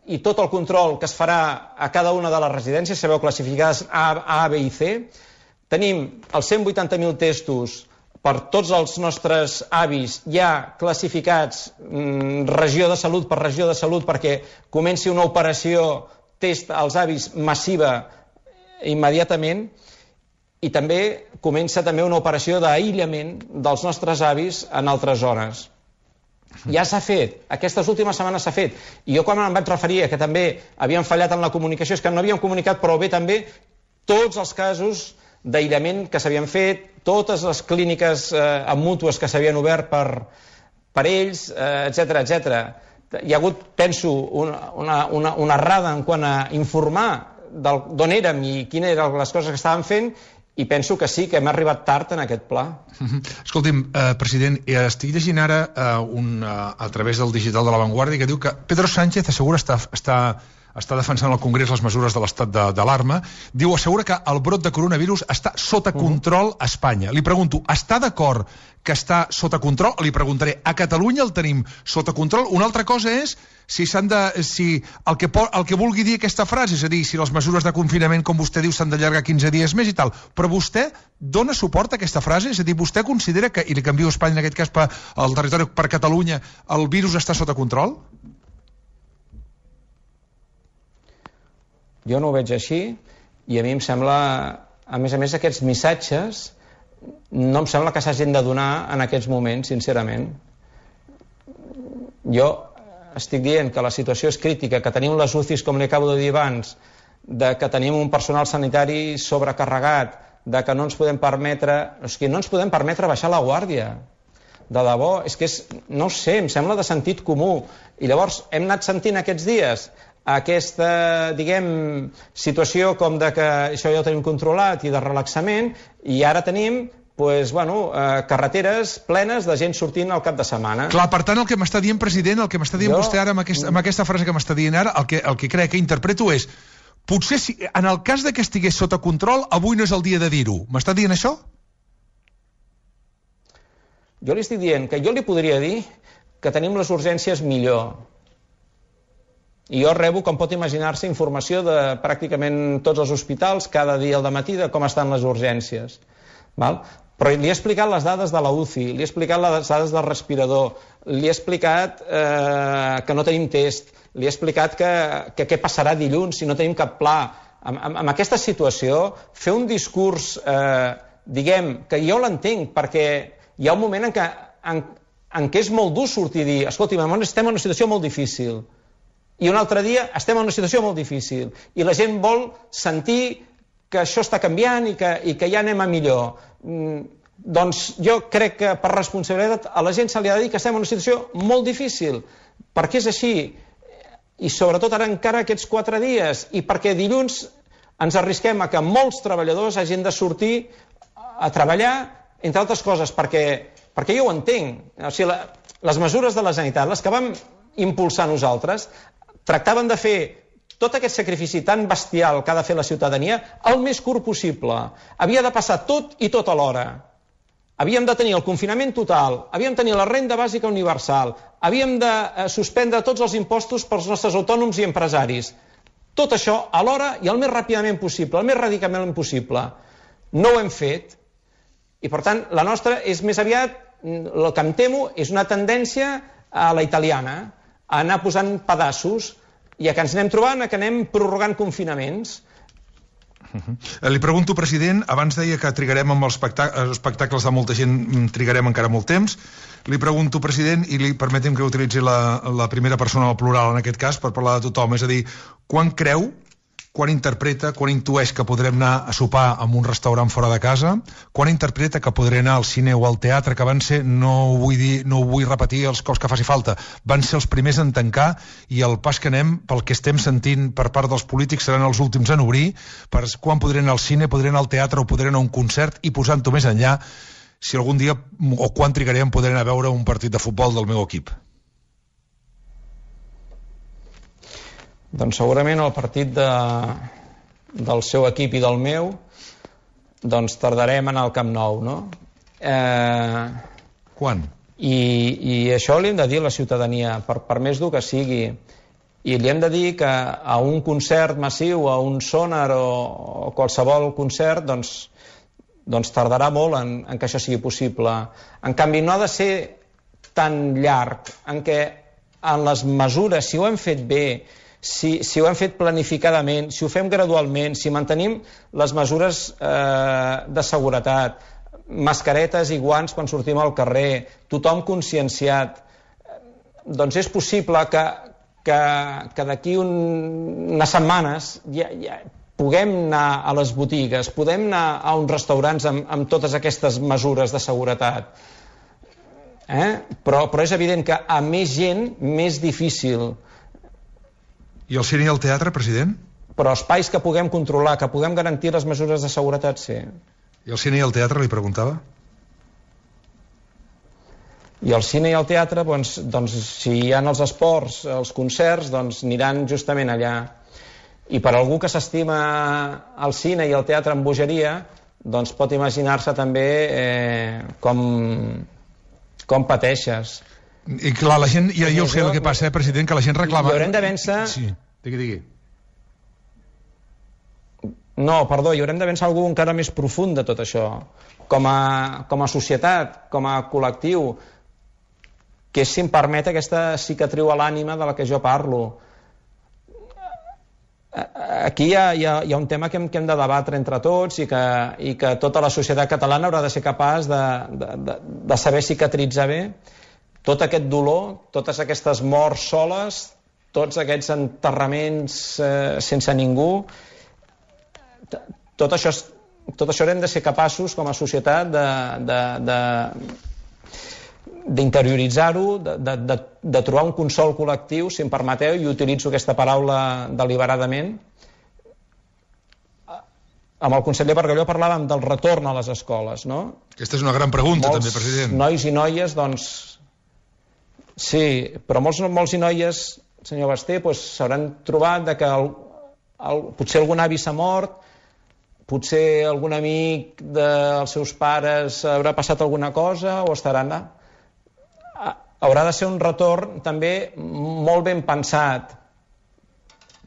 Speaker 4: i tot el control que es farà a cada una de les residències, sabeu, classificades A, A, B i C. Tenim els cent vuitanta mil testos per tots els nostres avis ja classificats mm, regió de salut per regió de salut, perquè comenci una operació test als avis massiva immediatament, i també comença també una operació d'aïllament dels nostres avis en altres zones. Ja s'ha fet, aquestes últimes setmanes s'ha fet, i jo quan em vaig referir a que també havíem fallat en la comunicació, és que no havíem comunicat prou bé també tots els casos d'aïllament que s'havien fet, totes les clíniques eh, amb mútues que s'havien obert per, per ells, eh, etcètera, etcètera. Hi ha hagut, penso, una, una, una, una errada en quant a informar d'on érem i quines eren les coses que estàvem fent, i penso que sí, que hem arribat tard en aquest pla.
Speaker 3: Escolti'm, eh, president, estic llegint ara eh, un, eh, a través del digital de La Vanguardia que diu que Pedro Sánchez assegura està, està, està defensant al Congrés les mesures de l'estat d'alarma. Diu, assegura que el brot de coronavirus està sota control a Espanya. Li pregunto, està d'acord que està sota control? Li preguntaré, a Catalunya el tenim sota control? Una altra cosa és si s'han de, si el que, el que vulgui dir aquesta frase, és a dir, si les mesures de confinament, com vostè diu, s'han d'allargar quinze dies més i tal. Però vostè dona suport a aquesta frase? És a dir, vostè considera que, i li canvio a Espanya en aquest cas per, al territori per Catalunya, el virus està sota control?
Speaker 4: Jo no ho veig així, i a mi em sembla, a més a més, aquests missatges no em sembla que s'hagin de donar en aquests moments, sincerament. Jo estic dient que la situació és crítica, que tenim les U C Is, com li acabo de dir abans, de que tenim un personal sanitari sobrecarregat, de que no ens podem permetre, és que no ens podem permetre baixar la guàrdia. De debò, és que és, no ho sé, em sembla de sentit comú. I llavors hem anat sentint aquests dies aquesta, diguem, situació com de que això ja ho tenim controlat i de relaxament, i ara tenim pues, bueno, eh, carreteres plenes de gent sortint al cap de setmana.
Speaker 3: Clar, per tant, el que m'està dient, president, el que m'està dient jo... vostè ara amb aquesta, amb aquesta frase que m'està dient ara, el que, el que crec que interpreto és, potser si, en el cas de que estigués sota control, avui no és el dia de dir-ho. M'està dient això?
Speaker 4: Jo li estic dient que jo li podria dir que tenim les urgències millor. I jo rebo, com pot imaginar-se, informació de pràcticament tots els hospitals cada dia al dematí de com estan les urgències. Val? Però li he explicat les dades de la U C I, li he explicat les dades del respirador, li he explicat eh, que no tenim test, li he explicat que, que què passarà dilluns si no tenim cap pla. En, en, en aquesta situació, fer un discurs, eh, diguem, que jo l'entenc, perquè hi ha un moment en què, en, en què és molt dur sortir i dir, escolti, estem en una situació molt difícil. I un altre dia estem en una situació molt difícil i la gent vol sentir que això està canviant i que, i que ja anem a millor. Mm, doncs jo crec que per responsabilitat a la gent se li ha de dir que estem en una situació molt difícil, perquè és així, i sobretot ara encara aquests quatre dies, i perquè dilluns ens arrisquem a que molts treballadors hagin de sortir a treballar, entre altres coses, perquè, perquè jo ho entenc. O sigui, la, les mesures de la sanitat, les que vam impulsar nosaltres, tractaven de fer tot aquest sacrifici tan bestial que ha de fer la ciutadania el més curt possible. Havia de passar tot i tot alhora. Havíem de tenir el confinament total, havíem de tenir la renda bàsica universal, havíem de eh, suspendre tots els impostos pels nostres autònoms i empresaris. Tot això alhora i el més ràpidament possible, el més radicalment possible. No ho hem fet. I per tant, la nostra és més aviat, el que em temo, és una tendència a la italiana, a anar posant pedaços i a que ens anem trobant, a que anem prorrogant confinaments.
Speaker 3: Uh-huh. Li pregunto, president, abans deia que trigarem amb els espectacles de molta gent, trigarem encara molt temps. Li pregunto, president, i li permetem que utilitzi la, la primera persona al plural en aquest cas per parlar de tothom, és a dir, quan creu, quan interpreta, quan intueix que podrem anar a sopar en un restaurant fora de casa, quan interpreta que podré anar al cine o al teatre, que van ser, no ho vull dir, no ho vull repetir els cops que faci falta, van ser els primers en tancar, i el pas que anem, pel que estem sentint per part dels polítics, seran els últims en obrir, per quan podré anar al cine, podré anar al teatre o podré anar a un concert, i posant-ho més enllà, si algun dia o quan trigaré en poder anar a veure un partit de futbol del meu equip.
Speaker 4: Doncs segurament el partit de, del seu equip i del meu, doncs tardarem en anar al Camp Nou, no? Eh,
Speaker 3: Quan?
Speaker 4: I, I això li hem de dir a la ciutadania, per, per més dur que sigui. I li hem de dir que a un concert massiu, a un sonar o, o qualsevol concert, doncs, doncs tardarà molt en, en que això sigui possible. En canvi, no ha de ser tan llarg, en què en les mesures, si ho hem fet bé, si, si ho hem fet planificadament, si ho fem gradualment, si mantenim les mesures eh, de seguretat, mascaretes i guants quan sortim al carrer, tothom conscienciat, doncs és possible que, que, que d'aquí un, unes setmanes ja, ja puguem anar a les botigues, podem anar a uns restaurants amb, amb totes aquestes mesures de seguretat. Eh? Però, però és evident que a més gent, més difícil.
Speaker 3: I el cine i el teatre, president?
Speaker 4: Però espais que puguem controlar, que puguem garantir les mesures de seguretat, sí.
Speaker 3: I el cine i el teatre, li preguntava?
Speaker 4: I el cine i el teatre, doncs, doncs si hi ha els esports, els concerts, doncs aniran justament allà. I per algú que s'estima el cine i el teatre amb bogeria, doncs pot imaginar-se també eh, com, com pateixes.
Speaker 3: I clar, la gent, ja, ja ho sé el que passa, eh, president, que la gent reclama...
Speaker 4: I haurem de vèncer...
Speaker 3: Sí, digui, digui.
Speaker 4: No, perdó, i haurem de vèncer algú encara més profund de tot això. Com a, com a societat, com a col·lectiu, que és, si em permet, aquesta cicatriu a l'ànima de la que jo parlo. Aquí hi ha, hi, ha, hi ha un tema que hem, que hem de debatre entre tots i que, i que tota la societat catalana haurà de ser capaç de, de, de, de saber cicatritzar bé tot aquest dolor, totes aquestes morts soles, tots aquests enterraments eh, sense ningú. Tot això, tot això haurem de ser capaços com a societat de, de, de d'interioritzar-ho, de, de, de, de trobar un consol col·lectiu, si em permeteu, i utilitzo aquesta paraula deliberadament. Amb el conseller Bargalló parlàvem del retorn a les escoles, no?
Speaker 3: Aquesta és una gran pregunta,
Speaker 4: molts
Speaker 3: també, president.
Speaker 4: Nois i noies, doncs... Sí, però molts, molts i noies, senyor Basté, s'hauran doncs, trobat de que el, el, potser algun avi s'ha mort, potser algun amic dels seus pares haurà passat alguna cosa, o estaran... Haurà de ser un retorn també molt ben pensat.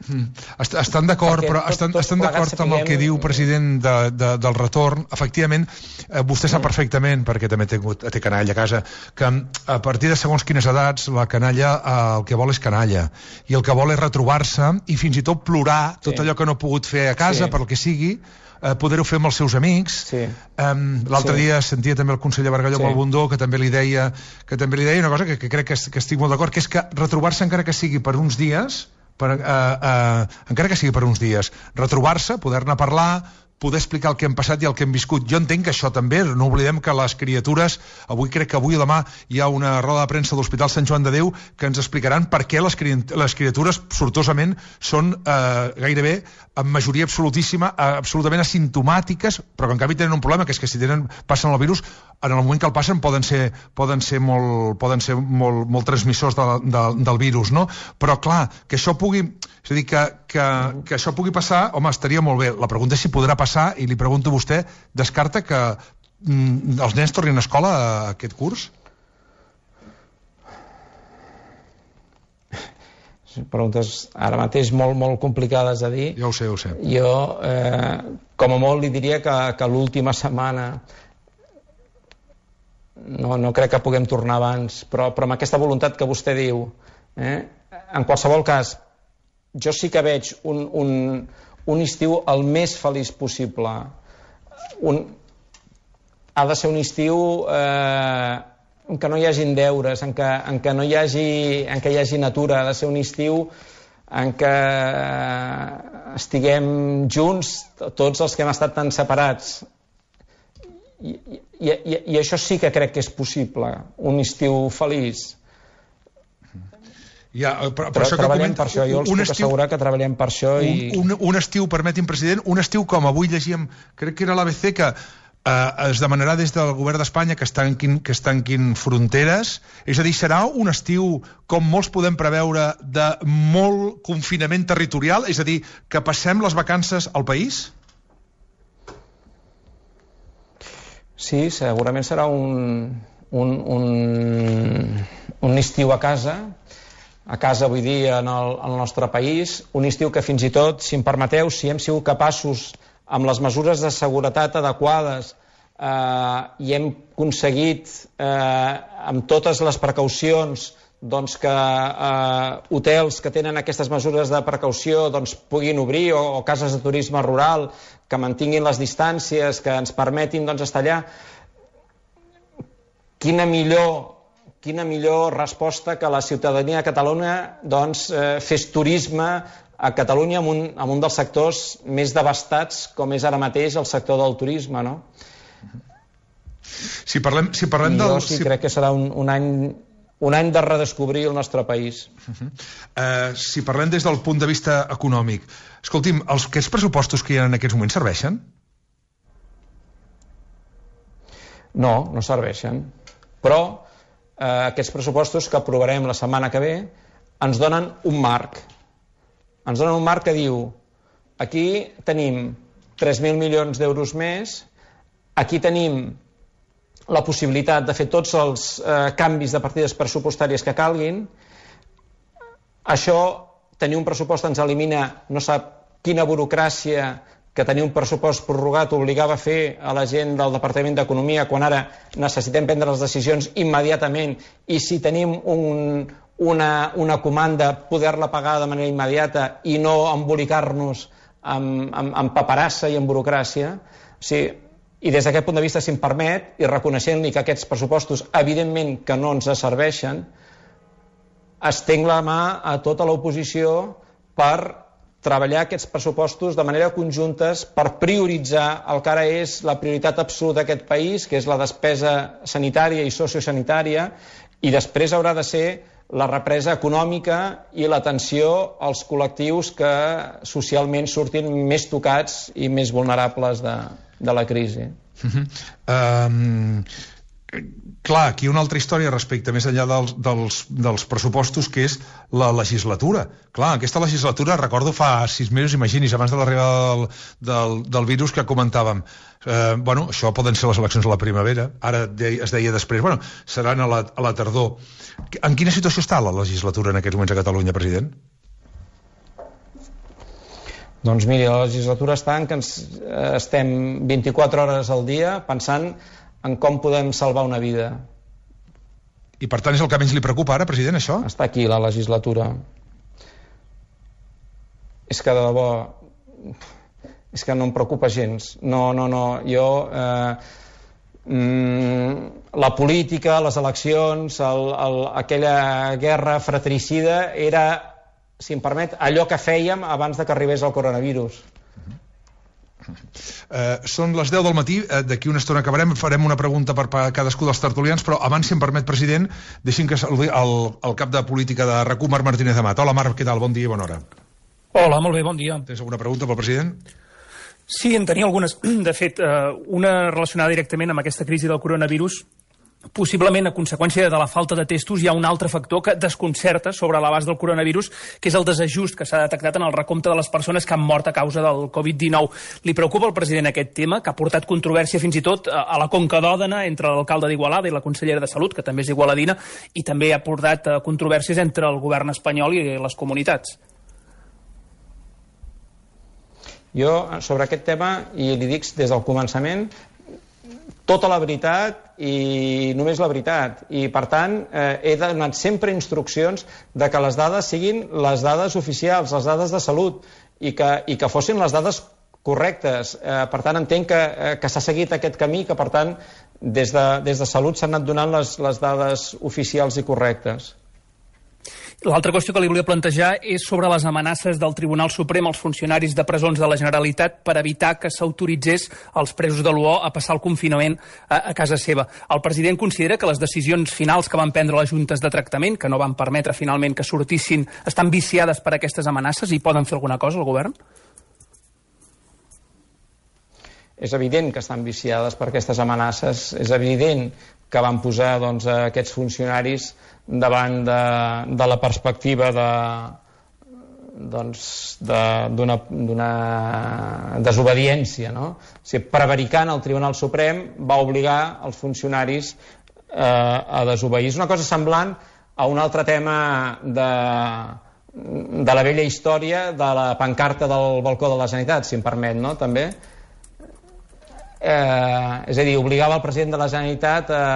Speaker 3: Mm. Estan d'acord, però estan, estan d'acord amb el que diu, president, de, de, del retorn. Efectivament, eh, vostè sap perfectament, perquè també té, té canalla a casa, que a partir de segons quines edats la canalla eh, el que vol és canalla, i el que vol és retrobar-se i fins i tot plorar tot sí. allò que no ha pogut fer a casa, sí. per el que sigui, eh, poder-ho fer amb els seus amics. Sí. Um, L'altre sí. dia sentia també el conseller Bargalló sí. amb el Bundó, que també li deia que també li deia una cosa que, que crec que, que estic molt d'acord, que és que retrobar-se encara que sigui per uns dies, per, uh, uh, encara que sigui per uns dies, retrobar-se, poder-ne parlar, poder explicar el que hem passat i el que hem viscut. Jo entenc que això també, no oblidem que les criatures, avui crec que avui o demà hi ha una roda de premsa de l'Hospital Sant Joan de Déu que ens explicaran per què les, cri les criatures sortosament són eh, gairebé en majoria absolutíssima, eh, absolutament asimptomàtiques, però que en canvi tenen un problema, que és que si tenen, passen el virus, en el moment que el passen poden ser, poden ser, molt, poden ser molt, molt transmissors de, de, del virus, no? Però clar, que això pugui... És a dir, que, que, que això pugui passar, home, estaria molt bé. La pregunta és si podrà passar, i li pregunto a vostè, descarta que mm, els nens tornin a escola a aquest curs?
Speaker 4: Preguntes ara mateix molt, molt complicades de dir.
Speaker 3: Ja ho sé, ho sé.
Speaker 4: Jo, eh, com a molt, li diria que, que l'última setmana no, no crec que puguem tornar abans, però, però amb aquesta voluntat que vostè diu, eh? En qualsevol cas, jo sí que veig un, un, un estiu el més feliç possible. Un... Ha de ser un estiu eh, en què no hi hagin deures, en què, en què no hi hagi, en què hi hagi natura. Ha de ser un estiu en què estiguem junts tots els que hem estat tan separats. I, i, i, i això sí que crec que és possible, un estiu feliç.
Speaker 3: Ja, per, per
Speaker 4: Però
Speaker 3: això
Speaker 4: treballem
Speaker 3: comenta,
Speaker 4: per això, jo els puc estiu, assegurar que treballem per això. I...
Speaker 3: Un, un, un estiu, permeti'm, president, un estiu com avui llegíem, crec que era l'A B C, que eh, es demanarà des del govern d'Espanya que es tanquin, que es tanquin fronteres. És a dir, serà un estiu, com molts podem preveure, de molt confinament territorial? És a dir, que passem les vacances al país?
Speaker 4: Sí, segurament serà un, un, un, un estiu a casa, a casa vull dir en el, en el nostre país, un estiu que fins i tot, si em permeteu, si hem sigut capaços amb les mesures de seguretat adequades eh, i hem aconseguit eh, amb totes les precaucions doncs que eh, hotels que tenen aquestes mesures de precaució doncs puguin obrir, o, o cases de turisme rural que mantinguin les distàncies, que ens permetin doncs estar allà. Quina millor quina millor resposta que la ciutadania de Catalunya doncs, eh, fes turisme a Catalunya en un, en un dels sectors més devastats com és ara mateix el sector del turisme, no?
Speaker 3: Si parlem, si parlem del...
Speaker 4: Jo sí
Speaker 3: si...
Speaker 4: crec que serà un, un, any, un any de redescobrir el nostre país.
Speaker 3: Uh-huh. uh, si parlem des del punt de vista econòmic, escolti'm, els, aquests pressupostos que hi ha en aquests moments serveixen?
Speaker 4: No, no serveixen. Però eh, aquests pressupostos que aprovarem la setmana que ve ens donen un marc. Ens donen un marc que diu aquí tenim tres mil milions d'euros més, aquí tenim la possibilitat de fer tots els eh, canvis de partides pressupostàries que calguin. Això, tenir un pressupost ens elimina no sap quina burocràcia que tenir un pressupost prorrogat obligava a fer a la gent del Departament d'Economia quan ara necessitem prendre les decisions immediatament, i si tenim un, una, una comanda poder-la pagar de manera immediata i no embolicar-nos amb, amb, amb paperassa i amb burocràcia. O sigui, i des d'aquest punt de vista, si em permet, i reconeixent-li que aquests pressupostos evidentment que no ens serveixen, estenc la mà a tota l'oposició per treballar aquests pressupostos de manera conjuntes per prioritzar el que ara és la prioritat absoluta d'aquest país, que és la despesa sanitària i sociosanitària, i després haurà de ser la represa econòmica i l'atenció als col·lectius que socialment surtin més tocats i més vulnerables de, de la crisi.
Speaker 3: Uh-huh. Um... Clar, aquí una altra història respecte més enllà dels, dels, dels pressupostos, que és la legislatura. Clar, aquesta legislatura, recordo fa sis mesos, imagini's, abans de l'arribada del, del, del virus que comentàvem. Eh, bueno, això poden ser les eleccions a la primavera, ara de, es deia després, bueno, seran a la, a la tardor. En quina situació està la legislatura en aquests moments a Catalunya, president?
Speaker 4: Doncs miri, la legislatura està en que ens, eh, estem vint-i-quatre hores al dia pensant en com podem salvar una vida.
Speaker 3: I per tant és el que menys li preocupa ara, president, això?
Speaker 4: Està aquí la legislatura. És que de debò és que no em preocupa gens. No, no, no. Jo eh, mm, la política, les eleccions, el, el, aquella guerra fratricida era, si em permet, allò que fèiem abans de que arribés el coronavirus.
Speaker 3: Uh, són les deu del matí, uh, d'aquí una estona acabarem, farem una pregunta per, per cadascú dels tertulians, però abans, si em permet, president, deixin que saludi el, el cap de política de RAC u, Marc Martínez Amat. Hola, Marc, què tal? Bon dia i bona hora.
Speaker 5: Hola, molt bé, bon dia.
Speaker 3: Tens alguna pregunta pel president?
Speaker 5: Sí, en tenia algunes. De fet, uh, una relacionada directament amb aquesta crisi del coronavirus. Possiblement, a conseqüència de la falta de testos, hi ha un altre factor que desconcerta sobre l'abast del coronavirus, que és el desajust que s'ha detectat en el recompte de les persones que han mort a causa del covid dinou. Li preocupa al president aquest tema, que ha portat controvèrsia fins i tot a la Conca d'Òdena entre l'alcalde d'Igualada i la consellera de Salut, que també és igualadina, i també ha portat controvèrsies entre el govern espanyol i les comunitats.
Speaker 4: Jo, sobre aquest tema, i li dic des del començament, tota la veritat i només la veritat. I, per tant, eh, he donat sempre instruccions de que les dades siguin les dades oficials, les dades de salut. i que, i que fossin les dades correctes. Eh, per tant, entenc que, eh, que s'ha seguit aquest camí, que per tant des de, des de Salut s'han anat donant les, les dades oficials i correctes.
Speaker 5: L'altra qüestió que li volia plantejar és sobre les amenaces del Tribunal Suprem als funcionaris de presons de la Generalitat per evitar que s'autoritzés als presos de l'U O a passar el confinament a, a casa seva. El president considera que les decisions finals que van prendre les juntes de tractament, que no van permetre finalment que sortissin, estan viciades per aquestes amenaces i poden fer alguna cosa el govern?
Speaker 4: És evident que estan viciades per aquestes amenaces, és evident que van posar doncs, aquests funcionaris davant de, de la perspectiva de, doncs, d'una de, desobediència. No? O sigui, prevaricant el Tribunal Suprem va obligar els funcionaris eh, a desobeir. És una cosa semblant a un altre tema de, de la vella història de la pancarta del balcó de la Generalitat, si em permet, no? També. Eh, és a dir, obligava el president de la Generalitat a,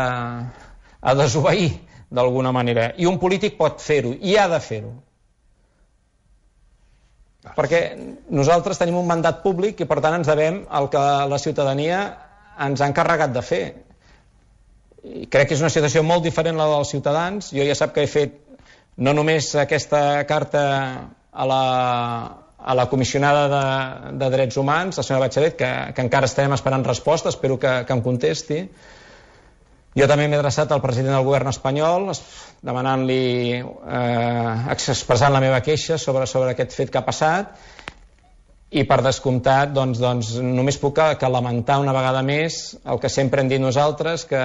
Speaker 4: a desobeir d'alguna manera, i un polític pot fer-ho i ha de fer-ho, perquè nosaltres tenim un mandat públic i per tant ens devem al que la ciutadania ens ha encarregat de fer. I crec que és una situació molt diferent la dels ciutadans. Jo ja sap que he fet no només aquesta carta a la a la comissionada de, de Drets Humans, la senyora Bachelet, que, que encara estem esperant resposta, espero que, que em contesti. Jo també m'he adreçat al president del govern espanyol, demanant-li, eh, expressant la meva queixa sobre, sobre aquest fet que ha passat, i per descomptat, doncs, doncs, només puc que, que lamentar una vegada més el que sempre hem dit nosaltres, que,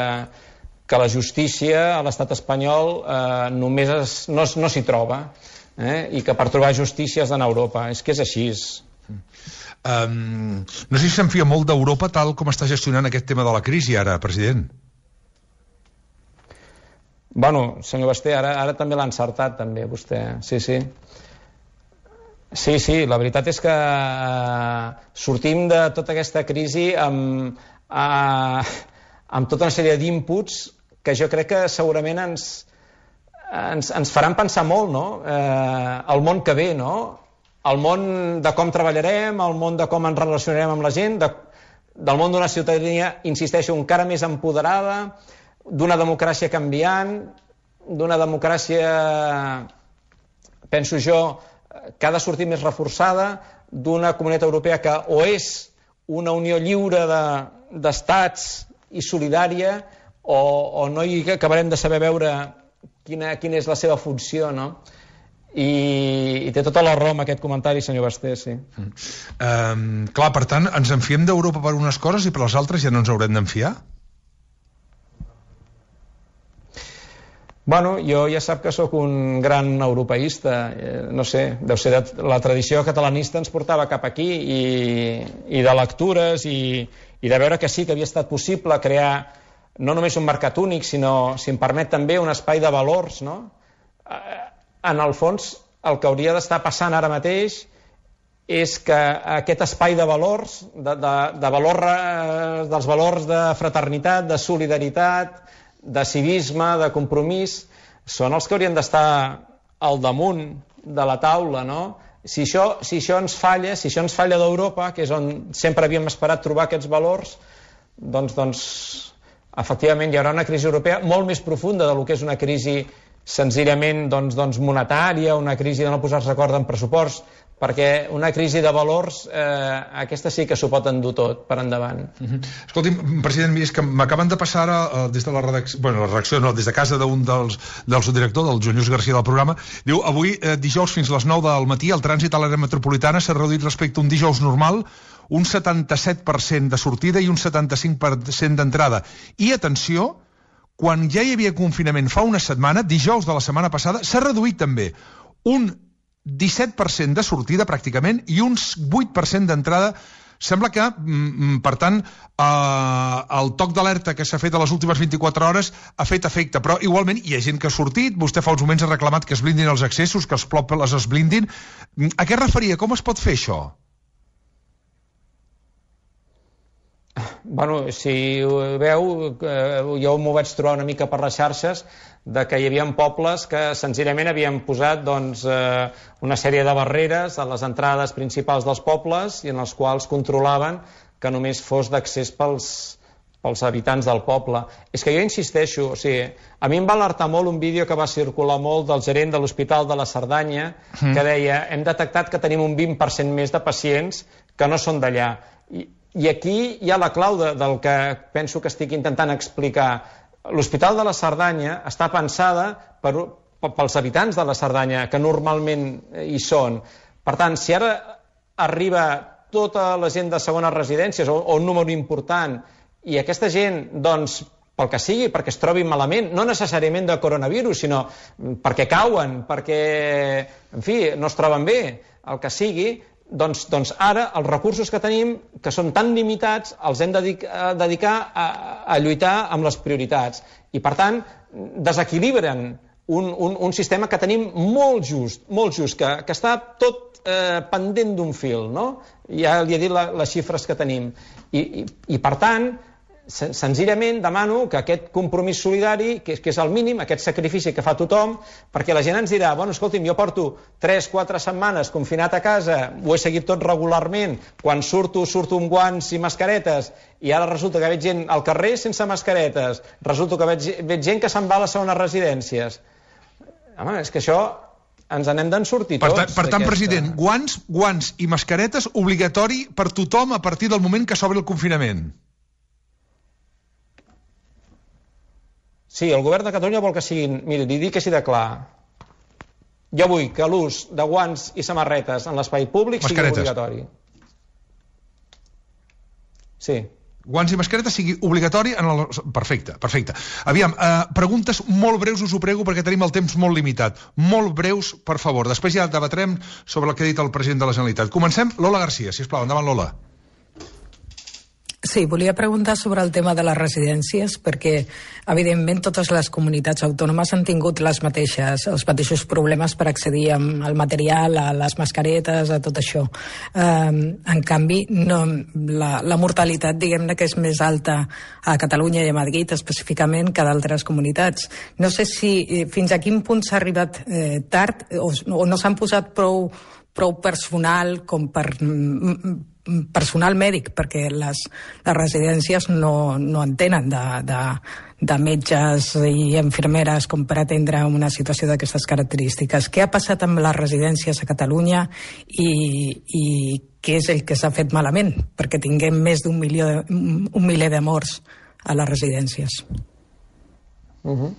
Speaker 4: que la justícia a l'estat espanyol eh, només es, no, no s'hi troba. Eh? I que per trobar justícia has d'anar a Europa. És que és així.
Speaker 3: Um, no sé si se'n fia molt d'Europa tal com està gestionant aquest tema de la crisi ara, president.
Speaker 4: Bueno, senyor Basté, ara, ara també l'ha encertat també vostè, sí, sí. Sí, sí, la veritat és que uh, sortim de tota aquesta crisi amb, uh, amb tota una sèrie d'inputs que jo crec que segurament ens Ens, ens faran pensar molt, no? Eh, el món que ve, no? El món de com treballarem, el món de com ens relacionarem amb la gent, de, del món d'una ciutadania, insisteixo, encara més empoderada, d'una democràcia canviant, d'una democràcia, penso jo, que ha de sortir més reforçada, d'una comunitat europea que o és una unió lliure de, d'estats i solidària, o, o no hi acabarem de saber veure Quina, quina és la seva funció, no? I, i té tota la raó amb aquest comentari, senyor Basté, sí.
Speaker 3: Mm. Um, clar, per tant, ens enfiem d'Europa per unes coses i per les altres ja no ens haurem d'enfiar?
Speaker 4: Bueno, jo ja sap que sóc un gran europeista, eh, no sé, deu ser de, la tradició catalanista ens portava cap aquí i, i de lectures i, i de veure que sí que havia estat possible crear no només un mercat únic, sinó, si em permet també, un espai de valors, no? En el fons, el que hauria d'estar passant ara mateix és que aquest espai de valors, de, de, de valor, dels valors de fraternitat, de solidaritat, de civisme, de compromís, són els que haurien d'estar al damunt de la taula, no? Si això, si això ens falla, si això ens falla d'Europa, que és on sempre havíem esperat trobar aquests valors, doncs, doncs efectivament hi haurà una crisi europea molt més profunda del que és una crisi senzillament doncs, doncs monetària, una crisi de no posar-se d'acord en pressupost, perquè una crisi de valors, eh, aquesta sí que s'ho pot endur tot per endavant.
Speaker 3: Uh-huh. Escolti'm, president, és que m'acaben de passar ara, eh, des de la redacció, bueno, la redacció no, des de casa d'un dels, del subdirector, del Joan Lluís García del programa, diu, avui, eh, dijous fins a les nou del matí, el trànsit a l'àrea metropolitana s'ha reduït respecte a un dijous normal, un setanta-set per cent de sortida i un setanta-cinc per cent d'entrada. I, atenció, quan ja hi havia confinament fa una setmana, dijous de la setmana passada, s'ha reduït també un disset per cent de sortida, pràcticament, i un vuit per cent d'entrada. Sembla que, per tant, eh, el toc d'alerta que s'ha fet a les últimes vint-i-quatre hores ha fet efecte, però igualment hi ha gent que ha sortit, vostè fa uns moments ha reclamat que es blindin els accessos, que els pobles es blindin. A què es referia? Com es pot fer això?
Speaker 4: bueno, si ho veu, jo m'ho vaig trobar una mica per les xarxes, de que hi havia pobles que senzillament havien posat doncs, eh, una sèrie de barreres a les entrades principals dels pobles i en els quals controlaven que només fos d'accés pels, pels habitants del poble. És que jo insisteixo, o sigui, a mi em va alertar molt un vídeo que va circular molt del gerent de l'Hospital de la Cerdanya, mm. que deia, hem detectat que tenim un vint per cent més de pacients que no són d'allà. I, I aquí hi ha la clau de, del que penso que estic intentant explicar. L'Hospital de la Cerdanya està pensada per, pels habitants de la Cerdanya, que normalment hi són. Per tant, si ara arriba tota la gent de segones residències, o, o un número important, i aquesta gent, doncs, pel que sigui, perquè es trobin malament, no necessàriament de coronavirus, sinó perquè cauen, perquè, en fi, no es troben bé, el que sigui, doncs, doncs ara els recursos que tenim, que són tan limitats, els hem de dedicar a, a lluitar amb les prioritats. I, per tant, desequilibren un, un, un sistema que tenim molt just, molt just, que, que està tot eh, pendent d'un fil, no? Ja li he dit la, les xifres que tenim. I, i, i per tant, senzillament demano que aquest compromís solidari, que, que és el mínim, aquest sacrifici que fa tothom, perquè la gent ens dirà, bueno, escolti'm, jo porto tres quatre setmanes confinat a casa, ho he seguit tot regularment, quan surto, surto amb guants i mascaretes, i ara resulta que veig gent al carrer sense mascaretes, resulta que veig, veig gent que se'n va a les segones residències. Home, és que això ens n'hem d'en sortir tots.
Speaker 3: Per, ta, per tant, president, guants, guants i mascaretes obligatori per tothom a partir del moment que s'obri el confinament.
Speaker 4: Sí, el govern de Catalunya vol que siguin... Miri, li dic així de clar. Jo vull que l'ús de guants i samarretes en l'espai públic sigui obligatori. Sí.
Speaker 3: Guants i mascaretes sigui obligatori en el... Perfecte, perfecte. Aviam, eh, preguntes molt breus, us ho prego, perquè tenim el temps molt limitat. Molt breus, per favor. Després ja debatrem sobre el que ha dit el president de la Generalitat. Comencem. Lola Garcia, sisplau. Endavant, Lola.
Speaker 6: Sí, volia preguntar sobre el tema de les residències, perquè, evidentment, totes les comunitats autònomes han tingut les mateixes, els mateixos problemes per accedir al material, a les mascaretes, a tot això. Um, en canvi, no, la, la mortalitat, diguem-ne, que és més alta a Catalunya i a Madrid, específicament, que d'altres comunitats. No sé si eh, fins a quin punt s'ha arribat eh, tard o, o no s'han posat prou, prou personal com per... Mm, personal mèdic, perquè les, les residències no, no en tenen de, de, de metges i infermeres com per atendre una situació d'aquestes característiques. Què ha passat amb les residències a Catalunya i, i què és el que s'ha fet malament perquè tinguem més d'un milió de, un miler de morts a les residències?
Speaker 4: Uh-huh.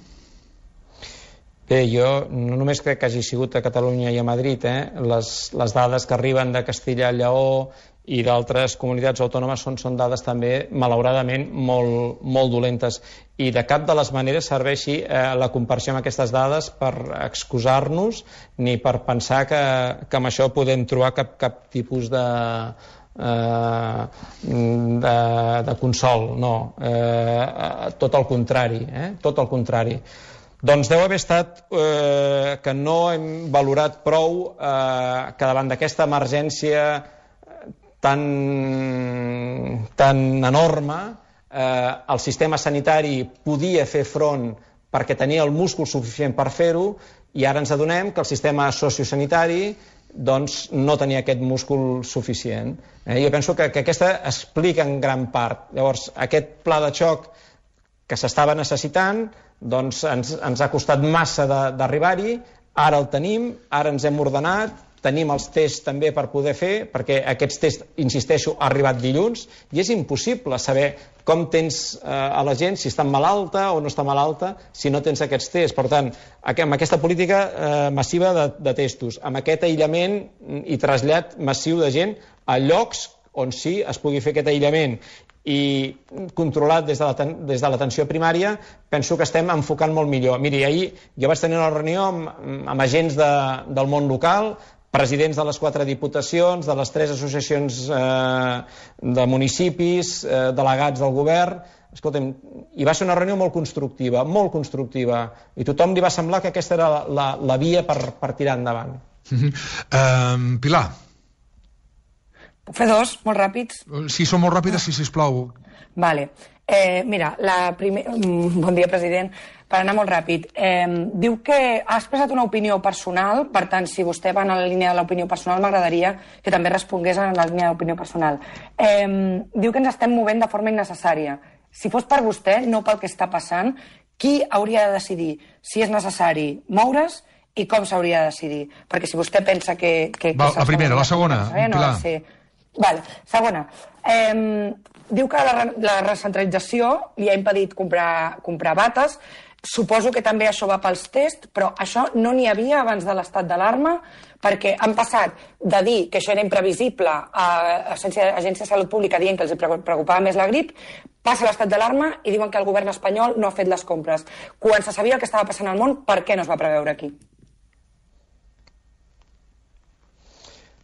Speaker 4: Bé, jo no només crec que hagi sigut a Catalunya i a Madrid, eh? les, les dades que arriben de Castilla i Lleó i d'altres comunitats autònomes són, són dades també, malauradament, molt, molt dolentes. I de cap de les maneres serveixi eh, la comparació amb aquestes dades per excusar-nos ni per pensar que, que amb això podem trobar cap, cap tipus de, eh, de, de consol. No, eh, tot el contrari, eh? tot el contrari. Doncs deu haver estat eh, que no hem valorat prou eh, que davant d'aquesta emergència tan, tan enorme, eh, el sistema sanitari podia fer front perquè tenia el múscul suficient per fer-ho, i ara ens adonem que el sistema sociosanitari doncs, no tenia aquest múscul suficient. Eh, jo penso que, que aquesta explica en gran part. Llavors, aquest pla de xoc que s'estava necessitant doncs ens, ens ha costat massa d'arribar-hi, ara el tenim, ara ens hem ordenat, tenim els tests també per poder fer, perquè aquests tests, insisteixo, ha arribat dilluns, i és impossible saber com tens eh, a la gent, si està malalta o no està malalta, si no tens aquests tests. Per tant, amb aquesta política eh, massiva de, de testos, amb aquest aïllament i trasllat massiu de gent a llocs on sí es pugui fer aquest aïllament i controlat des de l'atenció primària, penso que estem enfocant molt millor. Miri, ahir jo vaig tenir una reunió amb, amb agents de, del món local, presidents de les quatre diputacions, de les tres associacions eh, de municipis, eh, delegats del govern. Escolta'm, i va ser una reunió molt constructiva, molt constructiva, i tothom li va semblar que aquesta era la, la, la via per, per tirar endavant.
Speaker 3: Uh-huh. uh, Pilar.
Speaker 7: Puc fer dos, molt ràpids?
Speaker 3: Si són molt ràpides, sí, sisplau.
Speaker 7: Vale. Eh, mira, la primer... bon dia, president. Per anar molt ràpid. Eh, diu que ha expressat una opinió personal, per tant, si vostè va en la línia de l'opinió personal, m'agradaria que també respongués en la línia d'opinió personal. Eh, diu que ens estem movent de forma innecessària. Si fos per vostè, no pel que està passant, qui hauria de decidir si és necessari moure's i com s'hauria de decidir? Perquè si vostè pensa que... que, que
Speaker 3: Va, la primera, la segona,
Speaker 7: eh, no
Speaker 3: Pilar.
Speaker 7: Ser... Vale, segona. Eh, diu que la, la recentralització li ha impedit comprar, comprar bates. Suposo que també això va pels tests, però això no n'hi havia abans de l'estat d'alarma, perquè han passat de dir que això era imprevisible a l'Agència de Salut Pública dient que els preocupava més la grip, passa l'estat d'alarma i diuen que el govern espanyol no ha fet les compres. Quan se sabia el que estava passant al món, per què no es va preveure aquí?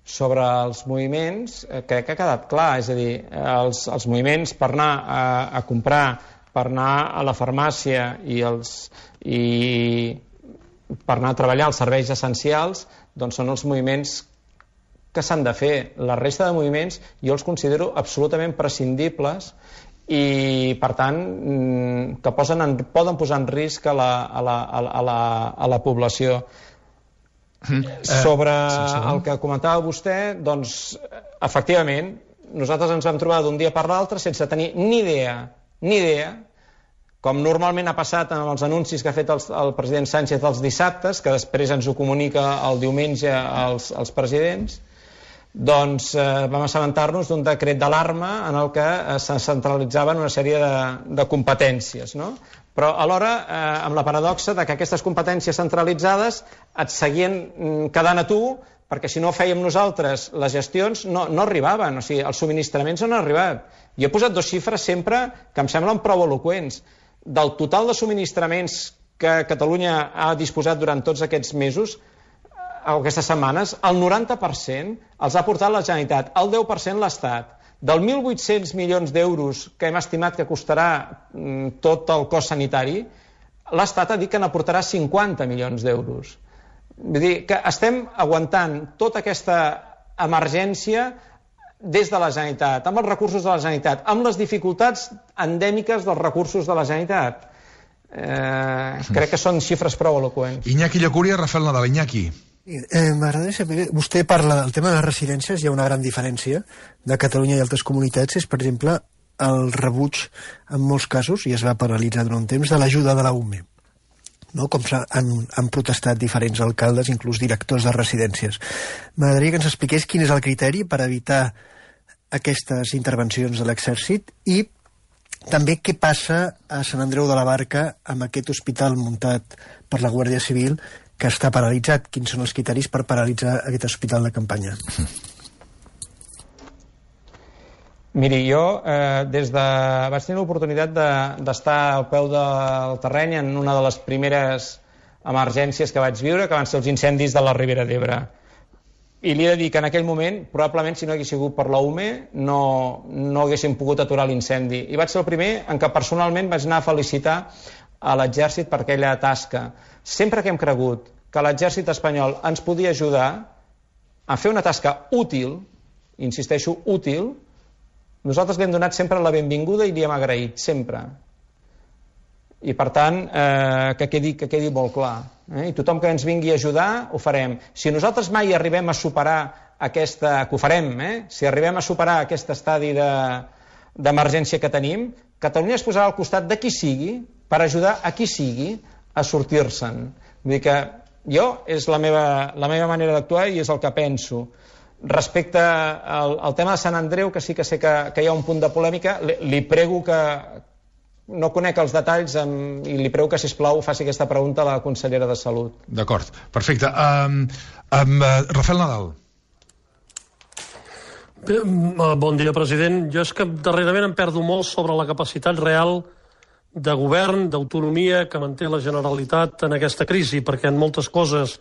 Speaker 4: Sobre els moviments, crec que ha quedat clar, és a dir, els, els moviments per anar a, a comprar, per anar a la farmàcia i, els, i per anar a treballar als serveis essencials, doncs són els moviments que s'han de fer. La resta de moviments jo els considero absolutament prescindibles i, per tant, que posen en, poden posar en risc a la, a la, a la, a la població. Sobre el que comentava vostè, doncs, efectivament, nosaltres ens vam trobar d'un dia per l'altre sense tenir ni idea, ni idea, com normalment ha passat en els anuncis que ha fet el, el president Sánchez els dissabtes, que després ens ho comunica el diumenge als, als presidents, doncs eh, vam assabentar-nos d'un decret d'alarma en el que eh, se centralitzaven una sèrie de, de competències, no? Però alhora eh, amb la paradoxa de que aquestes competències centralitzades et seguien quedant a tu, perquè si no fèiem nosaltres les gestions no, no arribaven, o sigui, els subministraments no han arribat. Jo he posat dues xifres sempre que em semblen prou eloqüents. Del total de subministraments que Catalunya ha disposat durant tots aquests mesos, aquestes setmanes, el noranta per cent els ha portat la Generalitat, el deu per cent l'Estat. Del mil vuit-cents milions d'euros que hem estimat que costarà mm, tot el cost sanitari, l'Estat ha dit que n'aportarà cinquanta milions d'euros. Vull dir que estem aguantant tota aquesta emergència des de la Generalitat, amb els recursos de la Generalitat, amb les dificultats endèmiques dels recursos de la Generalitat. Eh, crec que són xifres prou eloqüents.
Speaker 3: Iñaki Llacúria, Rafael Nadal. Iñaki.
Speaker 8: Eh, M'agradaria saber, vostè parla del tema de les residències, hi ha una gran diferència de Catalunya i altres comunitats, és per exemple el rebuig en molts casos, i es va paralitzar durant un temps, de l'ajuda de la U M E, no? Com han, han protestat diferents alcaldes, inclús directors de residències. M'agradaria que ens expliqués quin és el criteri per evitar aquestes intervencions de l'exèrcit i també què passa a Sant Andreu de la Barca amb aquest hospital muntat per la Guàrdia Civil que està paralitzat. Quins són els criteris per paralitzar aquest hospital de campanya?
Speaker 4: Miri, jo eh, des de... vaig tenir l'oportunitat d'estar de, al peu del terreny en una de les primeres emergències que vaig viure, que van ser els incendis de la Ribera d'Ebre. I li he de dir que en aquell moment, probablement si no hagués sigut per la U M E, no, no haguéssim pogut aturar l'incendi. I vaig ser el primer en què personalment vaig anar a felicitar a l'exèrcit per aquella tasca. Sempre que hem cregut que l'exèrcit espanyol ens podia ajudar a fer una tasca útil, insisteixo, útil, nosaltres li hem donat sempre la benvinguda i li hem agraït, sempre. I per tant, eh, que, quedi, que quedi molt clar. Eh? I tothom que ens vingui a ajudar, ho farem. Si nosaltres mai arribem a superar aquesta... que ho farem, eh? Si arribem a superar aquest estadi d'emergència de, que tenim, Catalunya es posarà al costat de qui sigui per ajudar a qui sigui a sortir-se'n. Vull dir que jo és la meva, la meva manera d'actuar i és el que penso. Respecte al, al tema de Sant Andreu, que sí que sé que, que hi ha un punt de polèmica, li, li prego que... no conec els detalls amb, i li prego que, sisplau, faci aquesta pregunta a la consellera de Salut.
Speaker 3: D'acord, perfecte. Um, um, uh, Rafael Nadal.
Speaker 9: Bé, bon dia, president. Jo és que darrerament em perdo molt sobre la capacitat real de govern, d'autonomia que manté la Generalitat en aquesta crisi, perquè en moltes coses,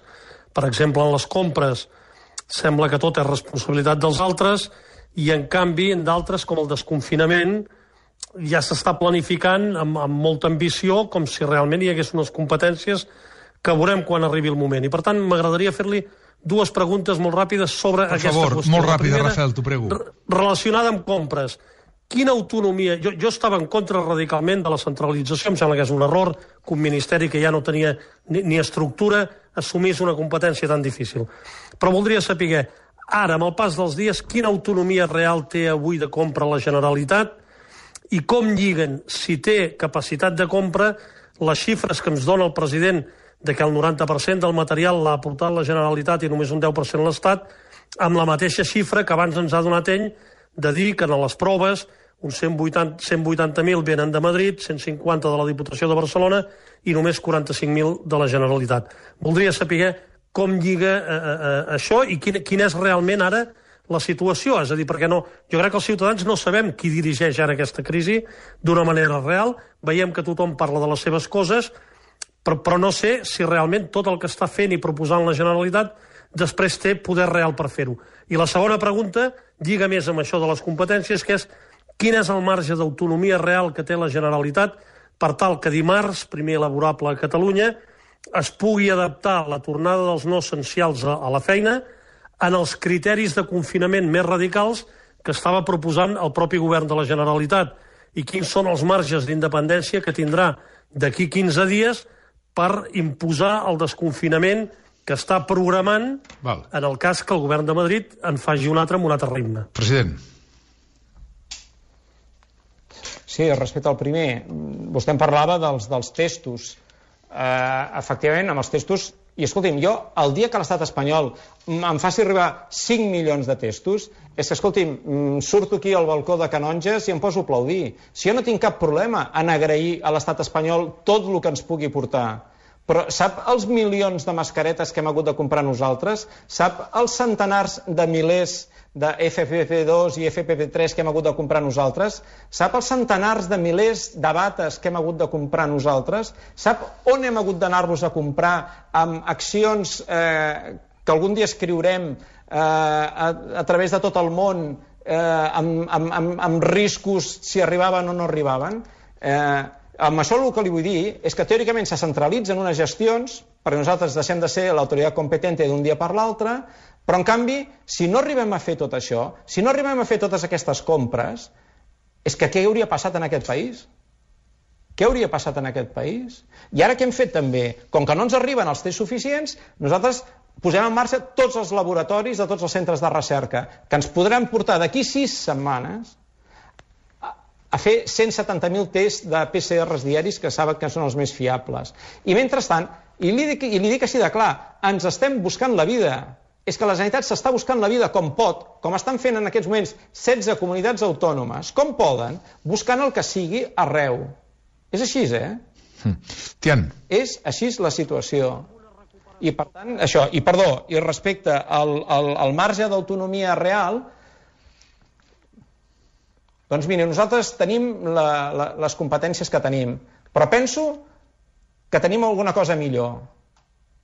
Speaker 9: per exemple en les compres, sembla que tot és responsabilitat dels altres i en canvi en d'altres com el desconfinament ja s'està planificant amb, amb molta ambició com si realment hi hagués unes competències que veurem quan arribi el moment. I per tant m'agradaria fer-li dues preguntes molt ràpides sobre
Speaker 3: per
Speaker 9: aquesta
Speaker 3: favor,
Speaker 9: qüestió.
Speaker 3: Molt ràpida,
Speaker 9: primera,
Speaker 3: Rafael, t'ho prego.
Speaker 9: Relacionada amb compres. Quina autonomia... Jo, jo estava en contra radicalment de la centralització, em sembla que és un error que un ministeri que ja no tenia ni, ni estructura assumís una competència tan difícil. Però voldria saber, ara, amb el pas dels dies, quina autonomia real té avui de compra la Generalitat i com lliguen, si té capacitat de compra, les xifres que ens dona el president de que el noranta per cent del material l'ha aportat la Generalitat i només un deu per cent l'Estat, amb la mateixa xifra que abans ens ha donat ell de dir que en les proves uns cent vuitanta mil venen de Madrid, cent cinquanta de la Diputació de Barcelona i només quaranta-cinc mil de la Generalitat. Voldria saber com lliga eh, eh, això i quina, quina és realment ara la situació. És a dir, perquè no, jo crec que els ciutadans no sabem qui dirigeix ara aquesta crisi d'una manera real. Veiem que tothom parla de les seves coses, però, però no sé si realment tot el que està fent i proposant la Generalitat després té poder real per fer-ho. I la segona pregunta lliga més amb això de les competències, que és quin és el marge d'autonomia real que té la Generalitat per tal que dimarts, primer laborable a Catalunya, es pugui adaptar la tornada dels no essencials a, a la feina en els criteris de confinament més radicals que estava proposant el propi govern de la Generalitat i quins són els marges d'independència que tindrà d'aquí quinze dies per imposar el desconfinament que està programant
Speaker 3: Val.
Speaker 9: En el cas que el govern de Madrid en faci un altre amb un altre ritme.
Speaker 3: President.
Speaker 4: Sí, respecte al primer, vostè em parlava dels, dels testos. Eh, efectivament, amb els testos, i escolti'm, jo, el dia que l'estat espanyol em faci arribar cinc milions de testos, és que, escolti'm, surto aquí al balcó de Canonges i em poso a aplaudir. Si jo no tinc cap problema en agrair a l'estat espanyol tot el que ens pugui portar. Però sap els milions de mascaretes que hem hagut de comprar nosaltres? Sap els centenars de milers de F P P dos i F P P tres que hem hagut de comprar nosaltres? Sap els centenars de milers de bates que hem hagut de comprar nosaltres? Sap on hem hagut d'anar-los a comprar amb accions eh, que algun dia escriurem eh, a, a través de tot el món eh, amb, amb, amb, amb riscos si arribaven o no arribaven? Eh, Amb això el que li vull dir és que teòricament se centralitzen unes gestions perquè nosaltres deixem de ser l'autoritat competente d'un dia per l'altre, però en canvi, si no arribem a fer tot això, si no arribem a fer totes aquestes compres, és que què hauria passat en aquest país? Què hauria passat en aquest país? I ara què hem fet també? Com que no ens arriben els tests suficients, nosaltres posem en marxa tots els laboratoris de tots els centres de recerca, que ens podran portar d'aquí sis setmanes a fer cent setanta mil tests de P C Rs diaris que saben que són els més fiables. I mentrestant, i li dic, i li dic així de clar, ens estem buscant la vida. És que la Generalitat s'està buscant la vida com pot, com estan fent en aquests moments setze comunitats autònomes, com poden, buscant el que sigui arreu. És així, eh?
Speaker 3: Tian.
Speaker 4: És així la situació. I per tant, això, i perdó, i respecte al, al, al marge d'autonomia real, doncs mira, nosaltres tenim la, la, les competències que tenim, però penso que tenim alguna cosa millor,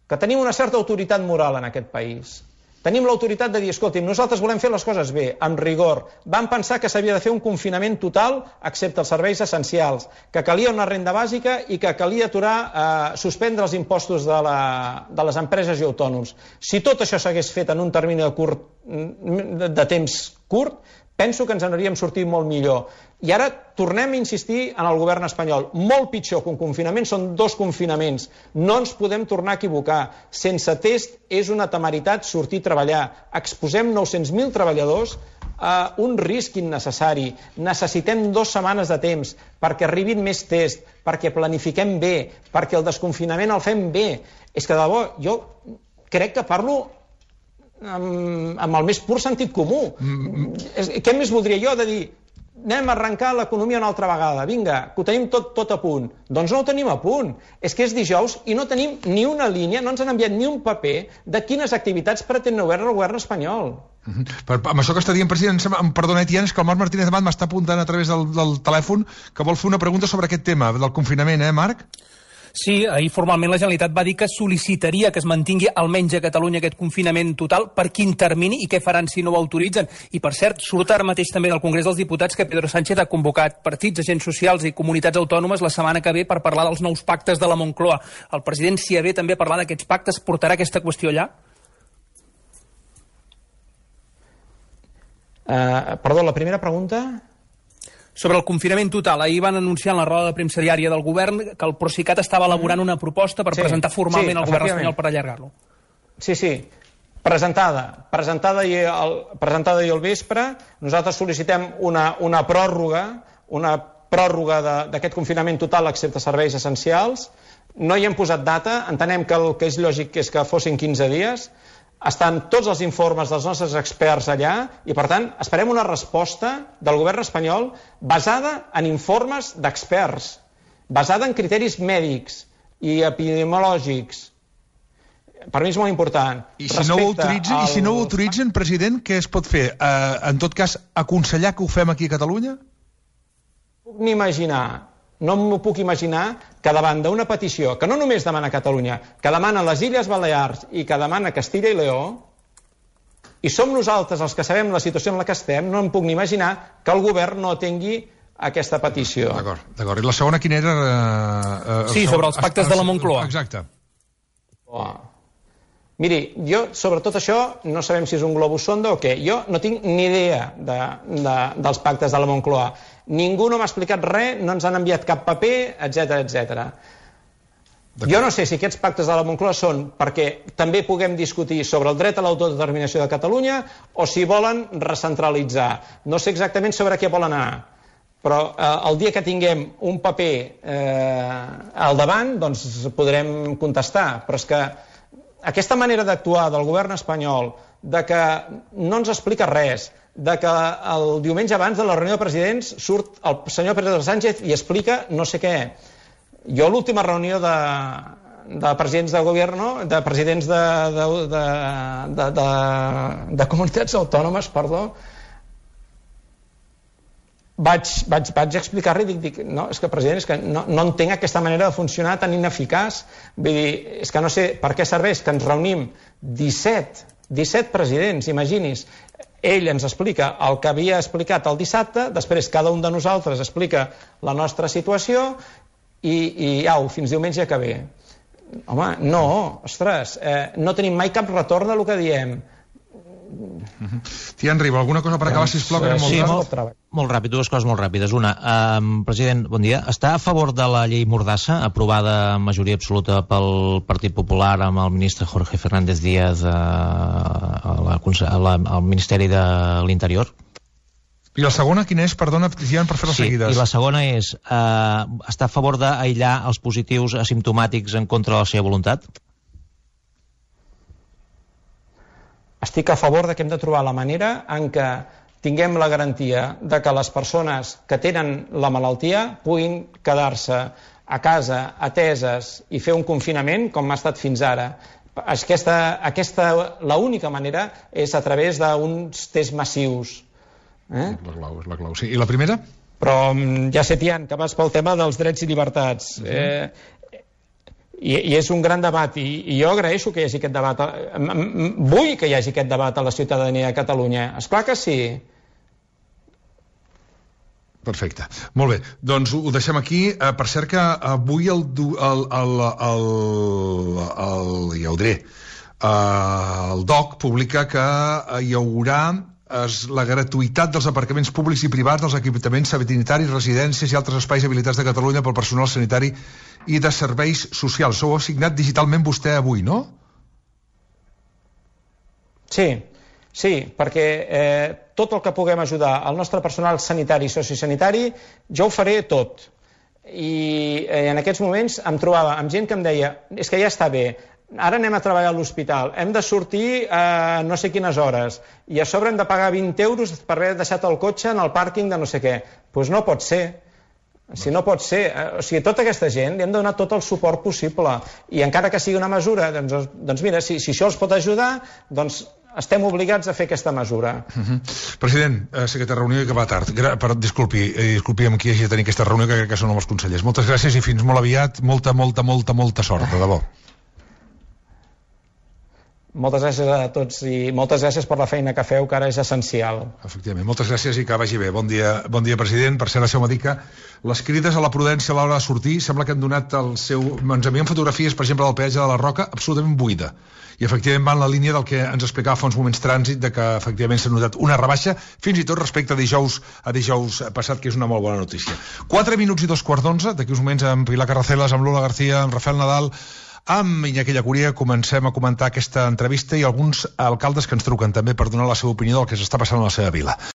Speaker 4: que tenim una certa autoritat moral en aquest país. Tenim l'autoritat de dir, escolti'm, nosaltres volem fer les coses bé, amb rigor. Vam pensar que s'havia de fer un confinament total, excepte els serveis essencials, que calia una renda bàsica i que calia aturar, eh, suspendre els impostos de, la, de les empreses i autònoms. Si tot això s'hagués fet en un termini de, curt, de temps curt, penso que ens n'hauríem sortit molt millor. I ara tornem a insistir en el govern espanyol. Molt pitjor que un confinament són dos confinaments. No ens podem tornar a equivocar. Sense test és una temeritat sortir a treballar. Exposem nou-cents mil treballadors a un risc innecessari. Necessitem dues setmanes de temps perquè arribin més tests, perquè planifiquem bé, perquè el desconfinament el fem bé. És que de debò, jo crec que parlo amb, amb el més pur sentit comú. Mm. Què més voldria jo de dir anem a arrencar l'economia una altra vegada, vinga, que ho tenim tot, tot a punt? Doncs no ho tenim a punt. És que és dijous i no tenim ni una línia, no ens han enviat ni un paper de quines activitats pretén obert el govern espanyol.
Speaker 3: Mm-hmm. Per, amb això que està dient, president, em perdona, Etienne, és que el Marc Martínez Amat m'està apuntant a través del, del telèfon que vol fer una pregunta sobre aquest tema del confinament, eh, Marc?
Speaker 5: Sí, ahir formalment la Generalitat va dir que sol·licitaria que es mantingui almenys a Catalunya aquest confinament total. Per quin termini i què faran si no ho autoritzen? I, per cert, surt ara mateix també del Congrés dels Diputats que Pedro Sánchez ha convocat partits, agents socials i comunitats autònomes la setmana que ve per parlar dels nous pactes de la Moncloa. El president s'hi avé també a parlar d'aquests pactes. Portarà aquesta qüestió allà?
Speaker 4: Uh, perdó, la primera pregunta...
Speaker 5: Sobre el confinament total, ahir van anunciar en la roda de premsa diària del govern que el Procicat estava elaborant una proposta per sí, presentar formalment sí, al govern espanyol per allargar-lo. Sí, sí, presentada. Presentada ahir al, presentada ahir al vespre. Nosaltres sol·licitem una, una pròrroga, una pròrroga d'aquest confinament total excepte serveis essencials. No hi hem posat data, entenem que el que és lògic és que fossin quinze dies. Estan tots els informes dels nostres experts allà i, per tant, esperem una resposta del govern espanyol basada en informes d'experts, basada en criteris mèdics i epidemiològics. Per mi és molt important.
Speaker 3: I si no ho autoritzen, al... i si no ho autoritzen, president, què es pot fer? Uh, en tot cas, aconsellar que ho fem aquí a Catalunya?
Speaker 4: Puc n'imaginar, no m'ho puc imaginar que davant d'una petició que no només demana Catalunya, que demana les Illes Balears i que demana Castilla i Lleó, i som nosaltres els que sabem la situació en la que estem, no em puc ni imaginar que el govern no tingui aquesta petició.
Speaker 3: D'acord, d'acord. I la segona quina era? Uh, uh,
Speaker 5: sí, sobre els pactes de la Moncloa.
Speaker 3: Exacte.
Speaker 4: Oh. Miri, jo sobre tot això no sabem si és un globus sonda o què. Jo no tinc ni idea de, de, dels pactes de la Moncloa. Ningú no m'ha explicat res, no ens han enviat cap paper, etcètera, etcètera. Jo no sé si aquests pactes de la Moncloa són perquè també puguem discutir sobre el dret a l'autodeterminació de Catalunya o si volen recentralitzar. No sé exactament sobre què volen anar, però eh, el dia que tinguem un paper eh, al davant, doncs podrem contestar. Però és que aquesta manera d'actuar del govern espanyol, de que no ens explica res, de que el diumenge abans de la reunió de presidents surt el senyor Pedro Sánchez i explica no sé què. Jo l'última reunió de, de presidents de govern, de presidents de, de, de, de, de, de comunitats autònomes, perdó, vaig, vaig, vaig explicar-li, dic, dic, no, és que president, és que no, no entenc aquesta manera de funcionar tan ineficaç. Vull dir, és que no sé per què serveix que ens reunim disset, disset presidents, imagini's. Ell ens explica el que havia explicat el dissabte, després cada un de nosaltres explica la nostra situació i, i au, fins diumenge que ve. Home, no, ostres, eh, no tenim mai cap retorn del que diem.
Speaker 3: Tian Riba, alguna cosa per acabar, sisplau, que anem molt
Speaker 10: sí,
Speaker 3: molt,
Speaker 10: molt, molt ràpid, dues coses molt ràpides. Una, eh, president, bon dia. Està a favor de la llei Mordassa, aprovada en majoria absoluta pel Partit Popular amb el ministre Jorge Fernández Díaz eh, a la, a la, al Ministeri de l'Interior?
Speaker 3: I la segona, quina és? Perdona, Tian, per fer-les
Speaker 10: sí,
Speaker 3: seguides.
Speaker 10: I la segona és, eh, està a favor d'aïllar els positius asimptomàtics en contra de la seva voluntat?
Speaker 4: Estic a favor de que hem de trobar la manera en què tinguem la garantia de que les persones que tenen la malaltia puguin quedar-se a casa ateses i fer un confinament com ha estat fins ara. Aquesta, aquesta, l'única manera és a través d'uns tests massius. Eh?
Speaker 3: La clau, és la clau. Sí. I la primera?
Speaker 4: Però ja sé, Tian, que vas pel tema dels drets i llibertats. Uh-huh. eh, I, i és un gran debat, i, i jo agraeixo que hi hagi aquest debat. Vull que hi hagi aquest debat a la ciutadania de Catalunya. Esclar que sí.
Speaker 3: Perfecte. Molt bé. Doncs ho deixem aquí. Uh, per cert que avui el... el, el, el, el ja ho diré. Uh, el D O C publica que hi haurà es, la gratuïtat dels aparcaments públics i privats dels equipaments sanitaris, residències i altres espais habilitats de Catalunya pel personal sanitari i de serveis socials. Ho ha signat digitalment vostè avui, no?
Speaker 4: Sí, sí, perquè eh, tot el que puguem ajudar al nostre personal sanitari i sociosanitari, jo ho faré tot. I eh, en aquests moments em trobava amb gent que em deia, és que ja està bé, ara anem a treballar a l'hospital, hem de sortir a no sé quines hores i a sobre hem de pagar vint euros per haver deixat el cotxe en el pàrquing de no sé què. Doncs pues no pot ser. Si no pot ser, o sigui, tota aquesta gent li hem de donar tot el suport possible i encara que sigui una mesura, doncs, doncs mira, si, si això els pot ajudar, doncs estem obligats a fer aquesta mesura.
Speaker 3: Uh-huh. President, eh, sé que té reunió i que va tard. Gra per, disculpi, eh, disculpi amb qui hagi de tenir aquesta reunió, que crec que són els consellers. Moltes gràcies i fins molt aviat. Molta, molta, molta, molta sort, de debò.
Speaker 4: Moltes gràcies a tots i moltes gràcies per la feina que feu, que ara és essencial.
Speaker 3: Efectivament, moltes gràcies i que vagi bé. Bon dia, bon dia president. Per ser la seva dica, les crides a la prudència a l'hora de sortir sembla que han donat el seu... Ens envien fotografies, per exemple, del peatge de la Roca, absolutament buida. I efectivament va en la línia del que ens explicava fa uns moments trànsit, de que efectivament s'ha notat una rebaixa, fins i tot respecte a dijous, a dijous passat, que és una molt bona notícia. Quatre minuts i dos quarts d'onze, d'aquí uns moments amb Pilar Carracelas, amb Lola García, amb Rafael Nadal, amb Iñaki Llacuria, comencem a comentar aquesta entrevista i alguns alcaldes que ens truquen també per donar la seva opinió del que s'està passant a la seva vila.